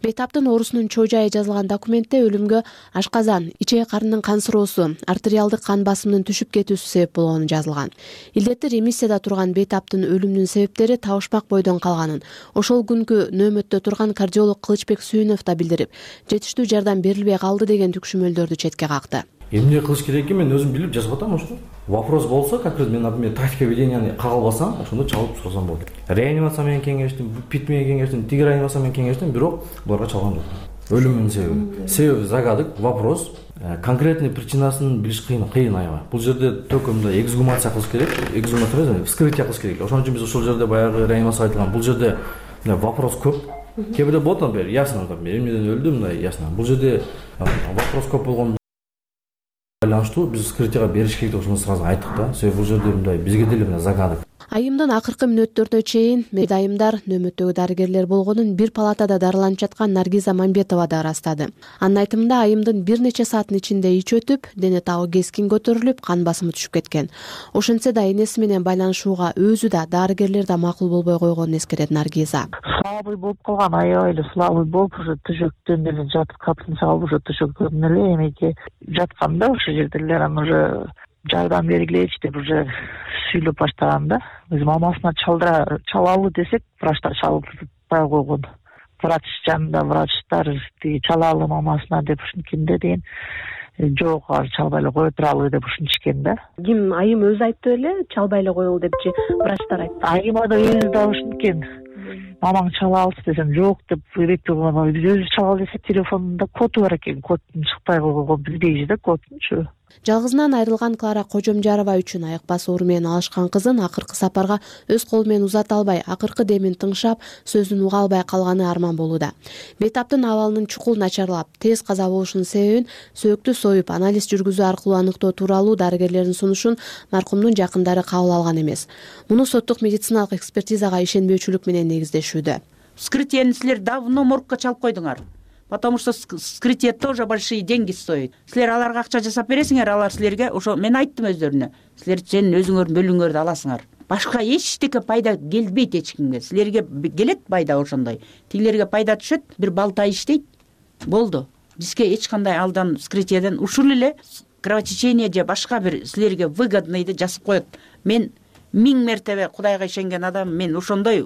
Бейтаптын оорусунун чоо жайы жазылган документте өлүмгө өлүмгө ашказан, ичек карындын кансыроосу, артериалдык кан басымынын түшүп кетүүсү себеп болгону жазылган. Илдетти ремиссияда турган Бейтаптын өлүмүнүн себептери табышмак бойдон калганын ошол күнкү нөөмөттө турган кардиолог Кылычбек Сүйүнов да билдирип, жетиштүү жардам берилбей калды деген түкшүмөлдөрдү четке какты. Эмне кылыш керек экенин мен өзүм билип жазып атам ошо. Вопрос болсо, как раз мен, например, тактика веденияны кагыл алсам, ошондо чалып сурасам болот. Реанимация менен кеңештим, ПИТ менен кеңештим, тиги реанимация менен кеңештим, бирок буларга чалган жок. Өлүмүнүн себеби. Себеби загадык, вопрос. Конкретный причинасын билиш кыйын аябай. Бул жерде только мындай эксгумация кылыш керек, эксгумация эмес, вскрытие кылыш керек. Ошон үчүн биз ошол жерде баягы реанимация айтылган. Бул жерде вопрос көп. Кээ бирде болот, например, ясно, эмнеден өлдү, мындай ясно. Бул жерде вопрос көп болгон байланыштуу биз вскрытияга бериш керек деп ошону сразу айттык да. Себеби бул жерде мындай бизге деле мындай загадык. Айымдын акыркы мүнөттөрүнө чейин айымдар нөөмөттөгү дарыгерлер болгонун бир палатада дарыланып жаткан Наргиза Мамбетова да ырастады. Анын айтымында айымдын бир нече сааттын ичинде ич өтүп, дене табы кескин көтөрүлүп, кан басымы түшүп кеткен. Ошентсе да энеси менен байланышууга өзү да дарыгерлер да макул болбой койгонун эскерет Наргиза. Слабый болуп калган, аябай эле слабый болуп, уже төшөктөн эле жатып, капсын чалып, уже төшөктөн эле эмеге жатканда ошол жерделер анан уже жардам бергилечи деп уже сүйлөп баштаган да. Биз мамасына чалалы десек, врачтар чалбай койгон. Врач жанында врачтар чалалы мамасына деп ушинткенде деген жок, чалбай эле кое туралы деп ушинтишкен да. Ким, айым өзү айтты беле, чалбай эле коелу депчи, врачтар айтты. Айыма да өзү да ушинткен. Мамаң чала алчы десем, жок деп ирет болгон. Биз өзү чалалы десе, телефонунда коду бар экен, кодун чыкпай койгон, билбейбиз да кодунчу. Жалгызынан айрылган Клара Кожомжарова үчүн айыкпас оору менен алышкан кызын акыркы сапарга өз колу менен узата албай, акыркы демин тыңшап, сөзүн уга албай калганы арман болууда. Бейтаптын абалынын чукул начарлап, тез каза болушунун себебин сөөктү союп, анализ жүргүзүү аркылуу аныктоо тууралуу дарыгерлердин сунушун маркумдун жакындары кабыл алган эмес. Муну соттук медициналык экспертизага ишенбөөчүлүк менен негиздешүүдө. Вскрытияны силер давно моргко чалып койдуңар. Потому что вскрытие тоже большие деньги стоит. Силер аларга акча жасап бересиңер, алар силерге ошо мен айттым өздөрүнө. Силер сенин өзүңөрдүн бөлүңөрдү аласыңар. Башка эчтеке пайда келбейт эч кимге. Силерге келет пайда ошондой. Тигилерге пайда түшөт, бир балта иштейт. Болду. Бизге эч кандай алдан вскрытиеден ушул эле кровотечение же башка бир силерге выгодныйды жасап коет. Мен 1000 мертебе Кудайга ишенген адам, мен ошондой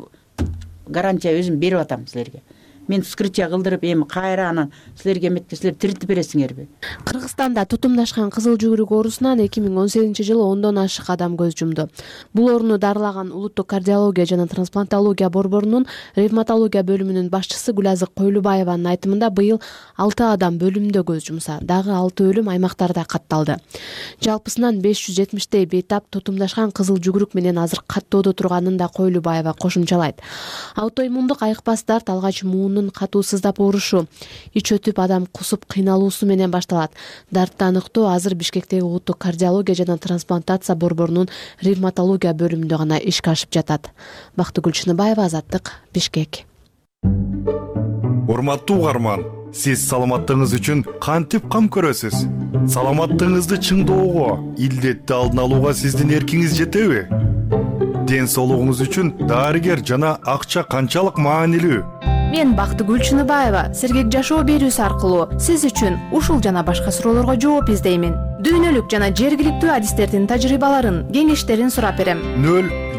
гарантия өзүм берип атам силерге. Мен вскрытие кылдырып, эми кайра анан силерге эметке силер тиритип бересиңерби? Кыргызстанда тутумдашкан кызыл жүгүрүк оорусунан 2018-жылы 10дон ашык адам көз жумду. Бул ооруну дарылаган Улуттук кардиология жана трансплантология борборунун ревматология бөлүмүнүн башчысы Гүлазык Койлубаеванын айтымында быйыл 6 адам бөлүмдө көз жумса, дагы 6 өлүм аймактарда катталды. Жалпысынан 570дей бейтап тутумдашкан кызыл жүгүрүк менен азыр каттоодо турганын да Койлубаева кошумчалайт. Аутоиммундук айыкпас дарт алгач муунун катуу сыздап оорушу, ич өтүп адам кусуп кыйналуусу менен башталат. Дартты аныктоо азыр Бишкектеги Улуттук кардиология жана трансплантация борборунун ревматология бөлүмүндө гана ишке ашып жатат. Бактыгүл Чыныбаева, Азаттык, Бишкек. Урматтуу угарман, сиз саламаттыгыңыз үчүн кантип кам көрөсүз? Саламаттыгыңызды чыңдоого, илдетти алдын алууга сиздин эркиңиз жетеби? Ден соолугуңуз үчүн дарыгер жана акча канчалык маанилүү? Мен Бактыгүл Чыныбаева сергек жашоо берүүсү аркылуу сиз үчүн ушул жана башка суроолорго жооп издеймин. Дүйнөлүк жана жергиликтүү адистердин тажрыйбаларын, кеңештерин сурап берем.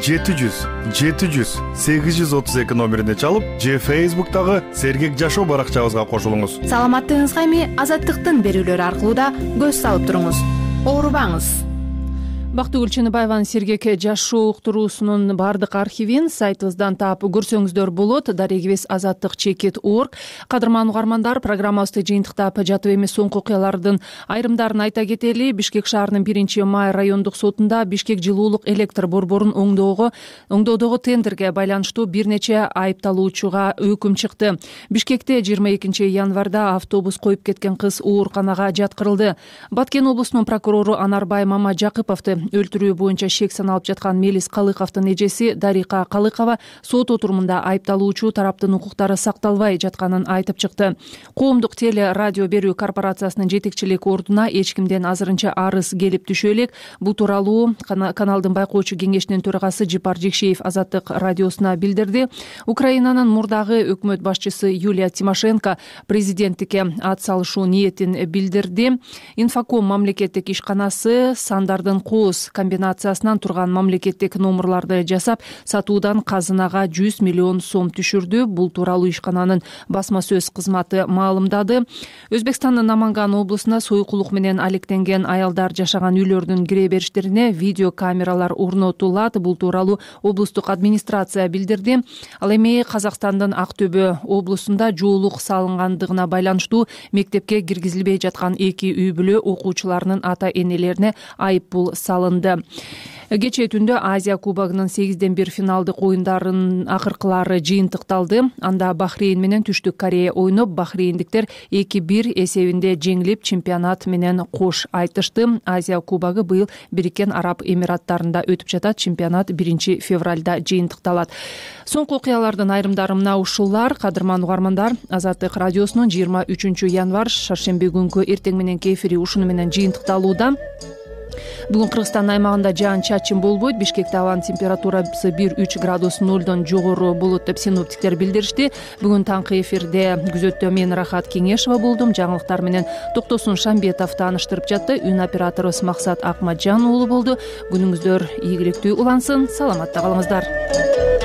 0700 700 832 номерине чалып, же Facebook'тагы сергек жашоо баракчабызга кошулуңуз. Саламаттыгыңызга эми Азаттыктын берүүлөрү аркылуу да көз салып туруңуз. Оорубаңыз. Бактыгүл Чыныбаеванын сергек жашоо уктуруусунун баардык архивин сайтыбыздан таап көрсөңүздөр болот. Дарегибиз azattik.org. Кадырман угармандар, программабызды жыйынтыктап жатып эмес соңку окуялардын айрымдарын айта кетели. Бишкек шаарынын 1-май райондук сотунда Бишкек жылуулук электр борборун оңдоодогу тендерге байланыштуу бир нече айыпталуучуга өкүм чыкты. Бишкекте 22 январда автобус коюп кеткен кыз ооруканага жаткырылды. Баткен облусунун прокурору Анарбай Мамажакыповду өлтүрүү боюнча шек саналып жаткан Мелис Калыковдун эжеси Дарика Калыкова сот отурумунда айыпталуучу тараптын укуктары сакталбай жатканын айтып чыкты. Коомдук теле радио берүү корпорациясынын жетекчилик ордуна эч кимден азырынча арыз келип түшө элек. Бул тууралуу каналдын байкоочу кеңешинин төрагасы Жипар Жекшеев Азаттык радиосуна билдирди. Украинанын мурдагы өкмөт башчысы Юлия Тимошенко президенттикке ат салышуу ниетин билдирди. Инфоком мамлекеттик ишканасы сандардын кооз комбинациясынан турган мамлекеттик номерларды жасап, сатуудан казынага 100 миллион сом түшүрдү. Бул тууралуу ишкананын басма сөз кызматы маалымдады. Өзбекстандын Наманган облусунда сойкулук менен алектенген аялдар жашаган үйлөрдүн кире бериштерине видео камералар орнотулат. Бул тууралуу облустук администрация билдирди. Ал эми Казакстандын Актөбө облусунда жоолук салынгандыгына байланыштуу мектепке киргизилбей жаткан 2 үй бүлө окуучуларынын ата-энелерине айыппул салынды. Кечээ түндө Азия кубогунун 8-1 финалдык оюндарынын акыркылары жыйынтыкталды. Анда Бахрейн менен Түштүк Корея ойноп, бахрейндиктер 2-1 эсебинде жеңилип, чемпионат менен кош айтышты. Азия кубогу быйыл Бириккен Араб Эмираттарында өтүп жатат. Чемпионат 1 февралда жыйынтыкталат. Соңку окуялардын айрымдары мына ушулар. Кадырман угармандар, Азаттык радиосунун 23 январь шаршемби күнкү эртең мененки эфири ушуну менен жыйынтыкталууда. Бүгүн Кыргызстан аймагында жаан чачын болбойт. Бишкекте абанын температурасы 1-3 градус нөлдөн жогору болот деп синоптиктер билдиришти. Бүгүн таңкы эфирде күзөттө мен Рахат Кеңешова болдум. Жаңылыктар менен Токтосун Шамбетов тааныштырып жатты. Үн операторубуз Максат Акматжан уулу болду. Күнүңүздөр ийгиликтүү улансын. Саламатта калыңыздар.